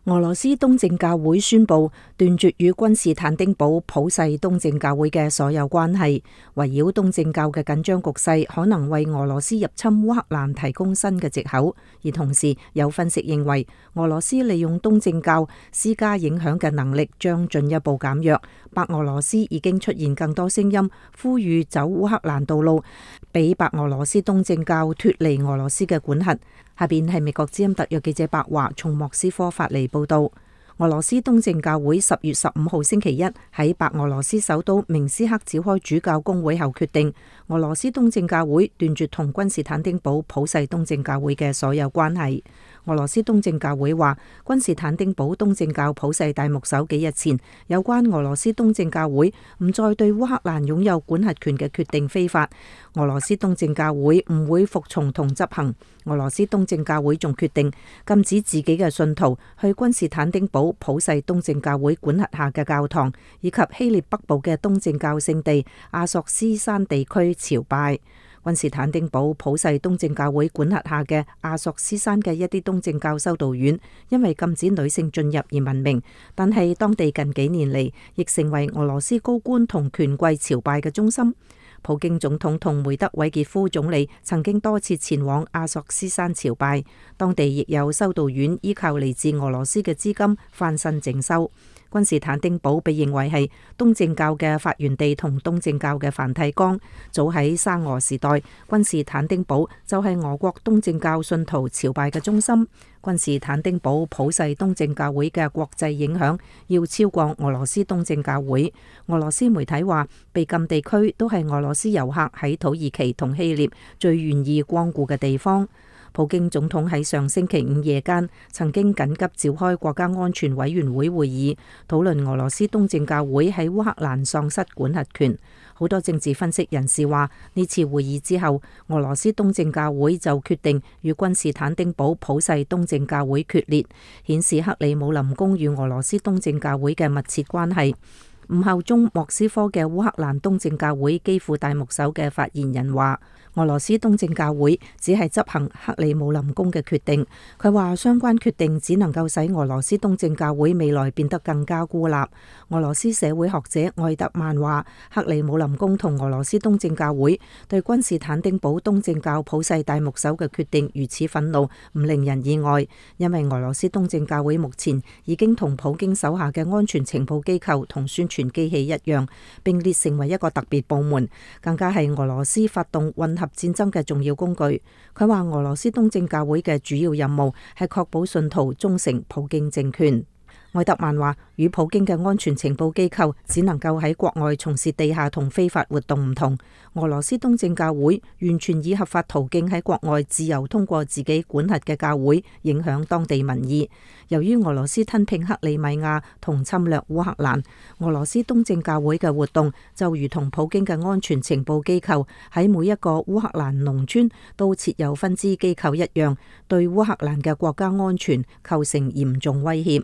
俄羅斯東正教會宣布斷絕與君士坦丁堡普世東正教會嘅所有關係，圍繞東正教嘅緊張局勢可能為俄羅斯入侵烏克蘭提供新嘅藉口。而同時有分析認為，俄羅斯利用東正教施加影響嘅能力將進一步減弱。白俄羅斯已經出現更多聲音呼籲走烏克蘭道路，俾白俄羅斯東正教脫離俄羅斯嘅管轄。下邊係美國之音特約記者白華從莫斯科發嚟報道。俄羅斯東正教會十月十五號星期一喺白俄羅斯首都明斯克召開主教公會後決定，俄羅斯東正教會斷絕同君士坦丁堡普世東正教會嘅所有關係。俄羅斯東正教會話，君士坦丁堡東正教普世大牧首幾日前有關俄羅斯東正教會唔再對烏克蘭擁有管轄權嘅決定非法，俄羅斯東正教會唔會服從同執行。俄羅斯東正教會仲決定禁止自己嘅信徒去君士坦丁堡普世東正教會管轄下嘅教堂，以及希臘北部嘅東正教聖地阿索斯山地區朝拜。君士坦丁堡普世東正教會管轄下嘅阿索斯山嘅一啲東正教修道院，因為禁止女性進入而聞名，但係當地近幾年嚟亦成為俄羅斯高官同權貴朝拜嘅中心。普京總統同梅德韋傑夫總理曾經多次前往阿索斯山朝拜，當地亦有修道院依靠嚟自俄羅斯嘅資金翻新整修。君士坦丁堡被認為係東正教嘅發源地同東正教嘅梵蒂岡。早喺沙俄時代，君士坦丁堡就係俄國東正教信徒朝拜嘅中心。君士坦丁堡普世東正教會嘅國際影響要超過俄羅斯東正教會。俄羅斯媒體話，被禁地區都係俄羅斯遊客喺土耳其同希臘最願意光顧嘅地方。普京總統喺上星期五夜間曾經緊急召開國家安全委員會會議，討論俄羅斯東正教會喺烏克蘭喪失管轄權。好多政治分析人士話，呢次會議之後，俄羅斯東正教會就決定與君士坦丁堡普世東正教會決裂，顯示克里姆林宮與俄羅斯東正教會嘅密切關係。唔效忠莫斯科嘅烏克蘭東正教會基輔大牧首嘅發言人話，俄羅斯東正教會只係執行克里姆林宮嘅決定。佢話相關決定只能夠使俄羅斯東正教會未來變得更加孤立。俄羅斯社會學者愛德曼話，克里姆林宮同俄羅斯東正教會對君士坦丁堡東正教普世大牧首嘅決定如此憤怒，唔令人意外，因為俄羅斯東正教會目前已經同普京手下嘅安全情報機構同宣傳機器一樣，並列成為一個特別部門，更加係俄羅斯發動混合戰爭嘅重要工具。佢話俄羅斯東正教會嘅主要任務係確保信徒忠誠普京政權。愛德曼話，與普京嘅安全情報機構只能夠喺國外從事地下同非法活動唔同，俄羅斯東正教會完全以合法途徑喺國外自由通過自己管轄嘅教會影響當地民意。由於俄羅斯吞併克里米亞同侵略烏克蘭，俄羅斯東正教會嘅活動就如同普京嘅安全情報機構喺每一個烏克蘭農村都設有分支機構一樣，對烏克蘭嘅國家安全構成嚴重威脅。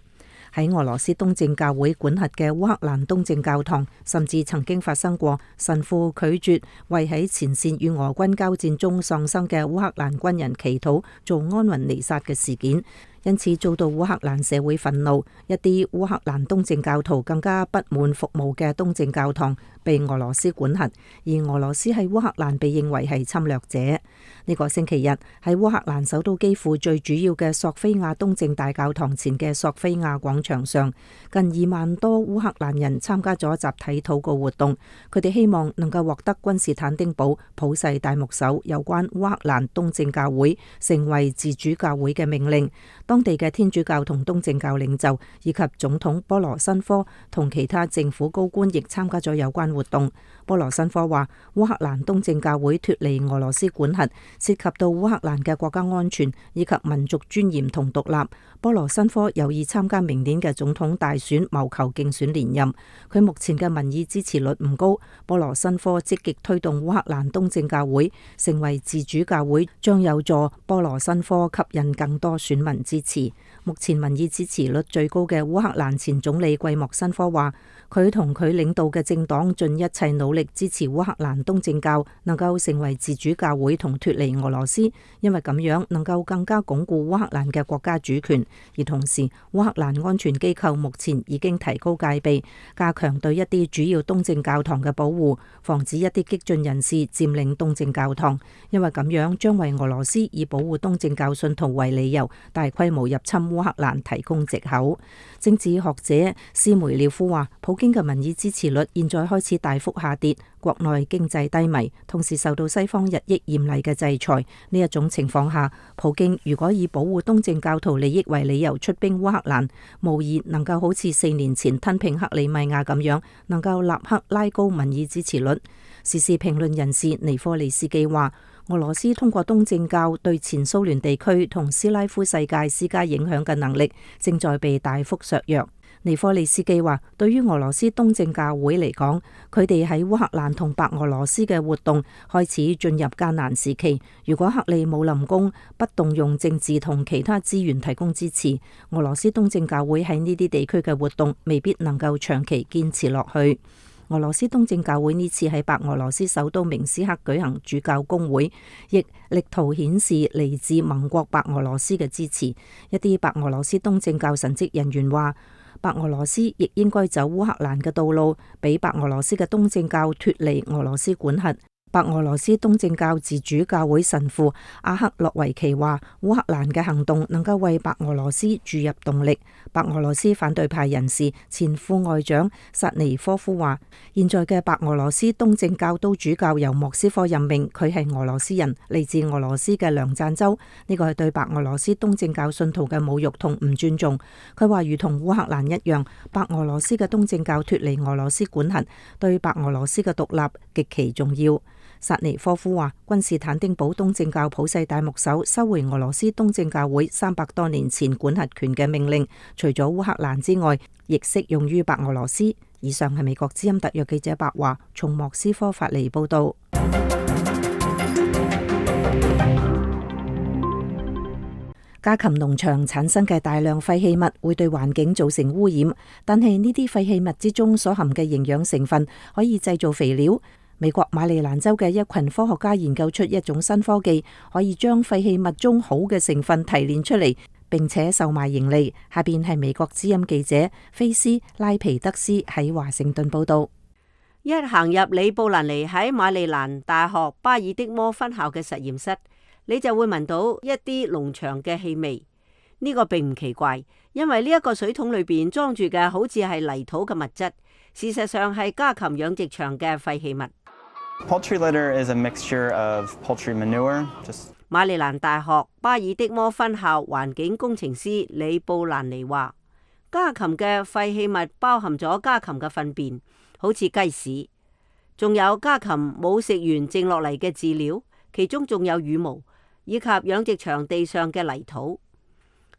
喺俄羅斯東正教會管轄嘅烏克蘭東正教堂，甚至曾經發生過神父拒絕為喺前線與俄軍交戰中喪生嘅烏克蘭軍人祈禱做安魂彌撒嘅事件，因此遭到烏克蘭社會憤怒。一啲烏克蘭東正教徒更加不滿服務嘅東正教堂被俄羅斯管轄，而俄羅斯喺烏克蘭被認為係侵略者。呢個星期日喺烏克蘭首都基輔最主要嘅索菲亞東正大教堂前嘅索菲亞廣場上，近二萬多烏克蘭人參加咗集體禱告活動。佢哋希望能夠獲得君士坦丁堡普世大牧首有關烏克蘭東正教會成為自主教會嘅命令。當地嘅天主教同東正教領袖以及總統波羅申科同其他政府高官亦參加咗有關活動。波羅申科話，烏克蘭東正教會脫離俄羅斯管轄，涉及到烏克蘭嘅國家安全以及民族尊嚴同獨立。波羅申科有意參加明年嘅總統大選，謀求競選連任。佢目前嘅民意支持率唔高。波羅申科積極推動烏克蘭東正教會成為自主教會，將有助波羅申科吸引更多選民支持。目前民意支持率最高嘅烏克蘭前總理季莫申科話，佢同佢領導嘅政黨盡一切努力支持烏克蘭東正教能夠成為自主教會同脫離俄羅斯，因為咁樣能夠更加鞏固烏克蘭嘅國家主權。而同時，烏克蘭安全機構目前已經提高戒備，加強對一啲主要東正教堂嘅保護，防止一啲激進人士佔領東正教堂，因為咁樣將為俄羅斯以保護東正教信徒為理由大規模入侵烏克蘭提供藉口。政治學者斯梅廖夫話，普京嘅民意支持率現在開始大幅下跌，國內經濟低迷，同時受到西方日益嚴厲嘅制裁。呢一種情況下，普京如果以保護東正教徒利益為理由出兵烏克蘭，無疑能夠好似四年前吞併克里米亞咁樣，能夠立刻拉高民意支持率。時事評論人士尼科利斯基話，俄羅斯通過東正教對前蘇聯地區同斯拉夫世界施加影響嘅能力正在被大幅削弱。尼科利斯基話，對於俄羅斯東正教會嚟講，佢哋喺烏克蘭同白俄羅斯嘅活動開始進入艱難時期。如果克里姆林宮不動用政治同其他資源提供支持，俄羅斯東正教會喺呢啲地區嘅活動未必能夠長期堅持落去。俄羅斯東正教會呢次喺白俄羅斯首都明斯克舉行主教公會，亦力圖顯示嚟自盟國白俄羅斯嘅支持。一啲白俄羅斯東正教神職人員話，白俄羅斯亦應該走烏克蘭嘅道路，俾白俄羅斯嘅東正教脫離俄羅斯管轄。白俄羅斯東正教自主教會神父阿克洛維奇話，烏克蘭嘅行動能夠為白俄羅斯注入動力。白俄羅斯反對派人士前副外長薩尼科夫話，現在嘅白俄羅斯東正教都主教由莫斯科任命，佢係俄羅斯人，嚟自俄羅斯嘅梁贊州。呢個係對白俄羅斯東正教信徒嘅侮辱同唔尊重。佢話，如同烏克蘭一樣，白俄羅斯嘅東正教脫離俄羅斯管轄，對白俄羅斯嘅獨立極其重要。薩尼科夫話，君士坦丁堡東正教普世大牧首收回俄羅斯東正教會三百多年前管轄權嘅命令，除咗烏克蘭之外，亦適用於白俄羅斯。以上係美國之音特約記者白華從莫斯科發嚟報道。家禽農場產生嘅大量廢棄物會對環境造成污染，但係呢啲廢棄物之中所含嘅營養成分可以製造肥料。美國馬里蘭州嘅一群科學家研究出一種新科技，可以將廢棄物中好嘅成分提煉出嚟，並且售賣盈利。下邊係美國之音記者菲斯拉皮德斯喺華盛頓報道。一行入里布蘭尼喺馬里蘭大學巴爾的摩分校嘅實驗室，你就會聞到一啲農場嘅氣味。呢個並唔奇怪，因為呢一個水桶裏邊裝住嘅好似係泥土嘅物質，事實上係家禽養殖場嘅廢棄物。Poultry litter is a mixture of poultry manure. Just... 馬里蘭大學巴爾的摩分校環境工程師李布蘭尼話，家禽嘅廢棄物包含咗家禽嘅糞便，好似雞屎，仲有家禽冇食完剩落嚟嘅飼料，其中仲有羽毛，以及養殖場地上嘅泥土。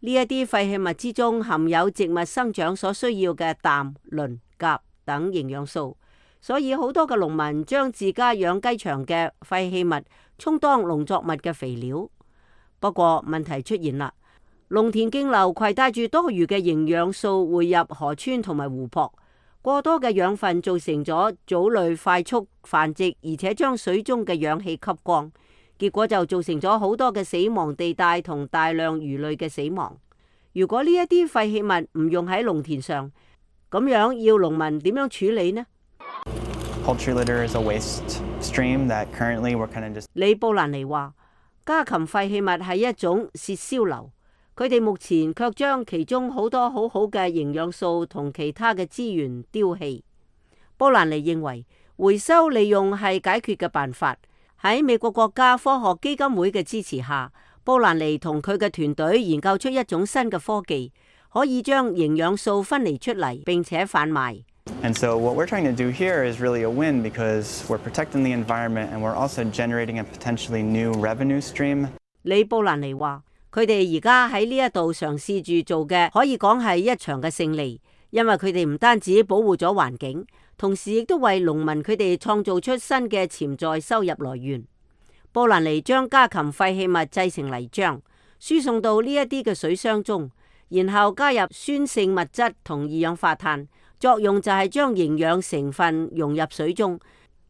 呢一啲廢棄物之中含有植物生長所需要嘅氮、磷、鉀等營養素，所以好多嘅農民將自家養雞場嘅廢棄物充當農作物嘅肥料。不過問題出現啦，農田徑流攜帶住多餘嘅營養素匯入河川同埋湖泊，過多嘅養分造成咗藻類快速繁殖，而且將水中嘅氧氣吸光。結果就造成咗好多嘅死亡地帶同大量魚類嘅死亡。如果呢一啲廢棄物唔用喺農田上，咁樣要農民點樣處理呢？ Poultry litter is a waste stream that currently we're kind of just... 李布蘭尼話，家禽廢棄物係一種泄銷流，佢哋目前卻將其中好多好好嘅營養素同其他嘅資源丟棄。布蘭尼認為回收利用係解決嘅辦法。喺美國國家科學基金會嘅支持下，布蘭尼同佢嘅團隊研究出一種新嘅科技，可以將營養素分離出嚟，並且販賣。And so what we're trying to do here is really a win because we're protecting the environment and we're also generating a potentially new revenue stream. 李布蘭尼話，佢哋而家喺呢一度嘗試住做嘅，可以講係一場嘅勝利，因為佢哋唔單止保護咗環境，同時亦都為農民佢哋創造出新嘅潛在收入來源。布蘭尼將家禽廢棄物製成泥漿，輸送到呢一啲嘅水箱中，然後加入酸性物質同二氧化碳，作用就係將營養成分融入水中，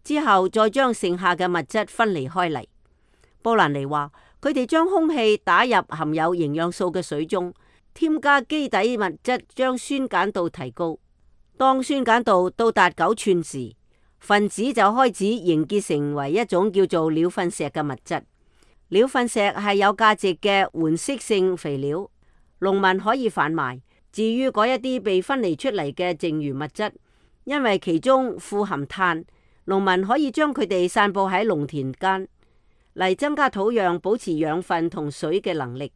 之後再將剩下嘅物質分離開嚟。布蘭尼話，佢哋將空氣打入含有營養素嘅水中，添加基底物質，將酸鹼度提高。當酸鹼度到達九吋時，分子就開始凝結成為一種叫做鳥糞石嘅物質。鳥糞石係有價值嘅緩釋性肥料，農民可以販賣。至於嗰一啲被分離出嚟嘅剩餘物質，因為其中富含碳，農民可以將佢哋散佈喺農田間，嚟增加土壤保持養分同水嘅能力。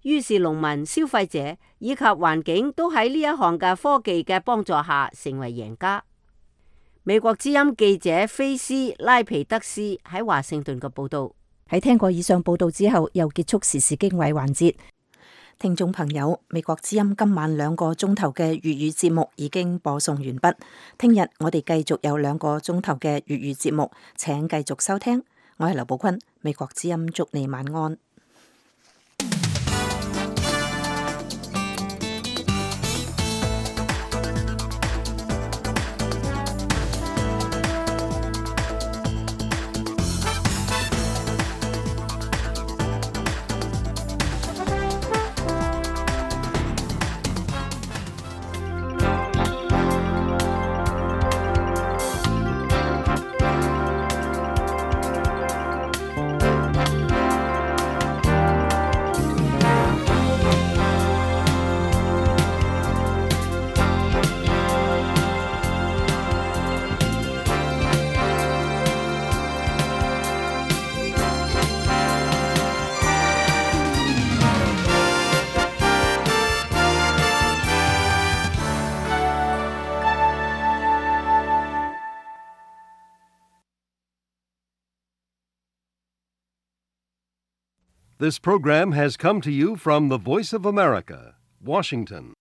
於是農民、消費者以及環境都喺呢一項嘅科技嘅幫助下成為贏家。美國之音記者菲斯拉皮德斯喺華盛頓嘅報道。喺聽過以上報道之後，又結束時事經緯環節。聽眾朋友，美國之音今晚兩個鐘頭嘅粵語節目已經播送完畢。聽日我哋繼續有兩個鐘頭嘅粵語節目，請繼續收聽。我係劉寶坤，美國之音祝你晚安。This program has come to you from the Voice of America, Washington.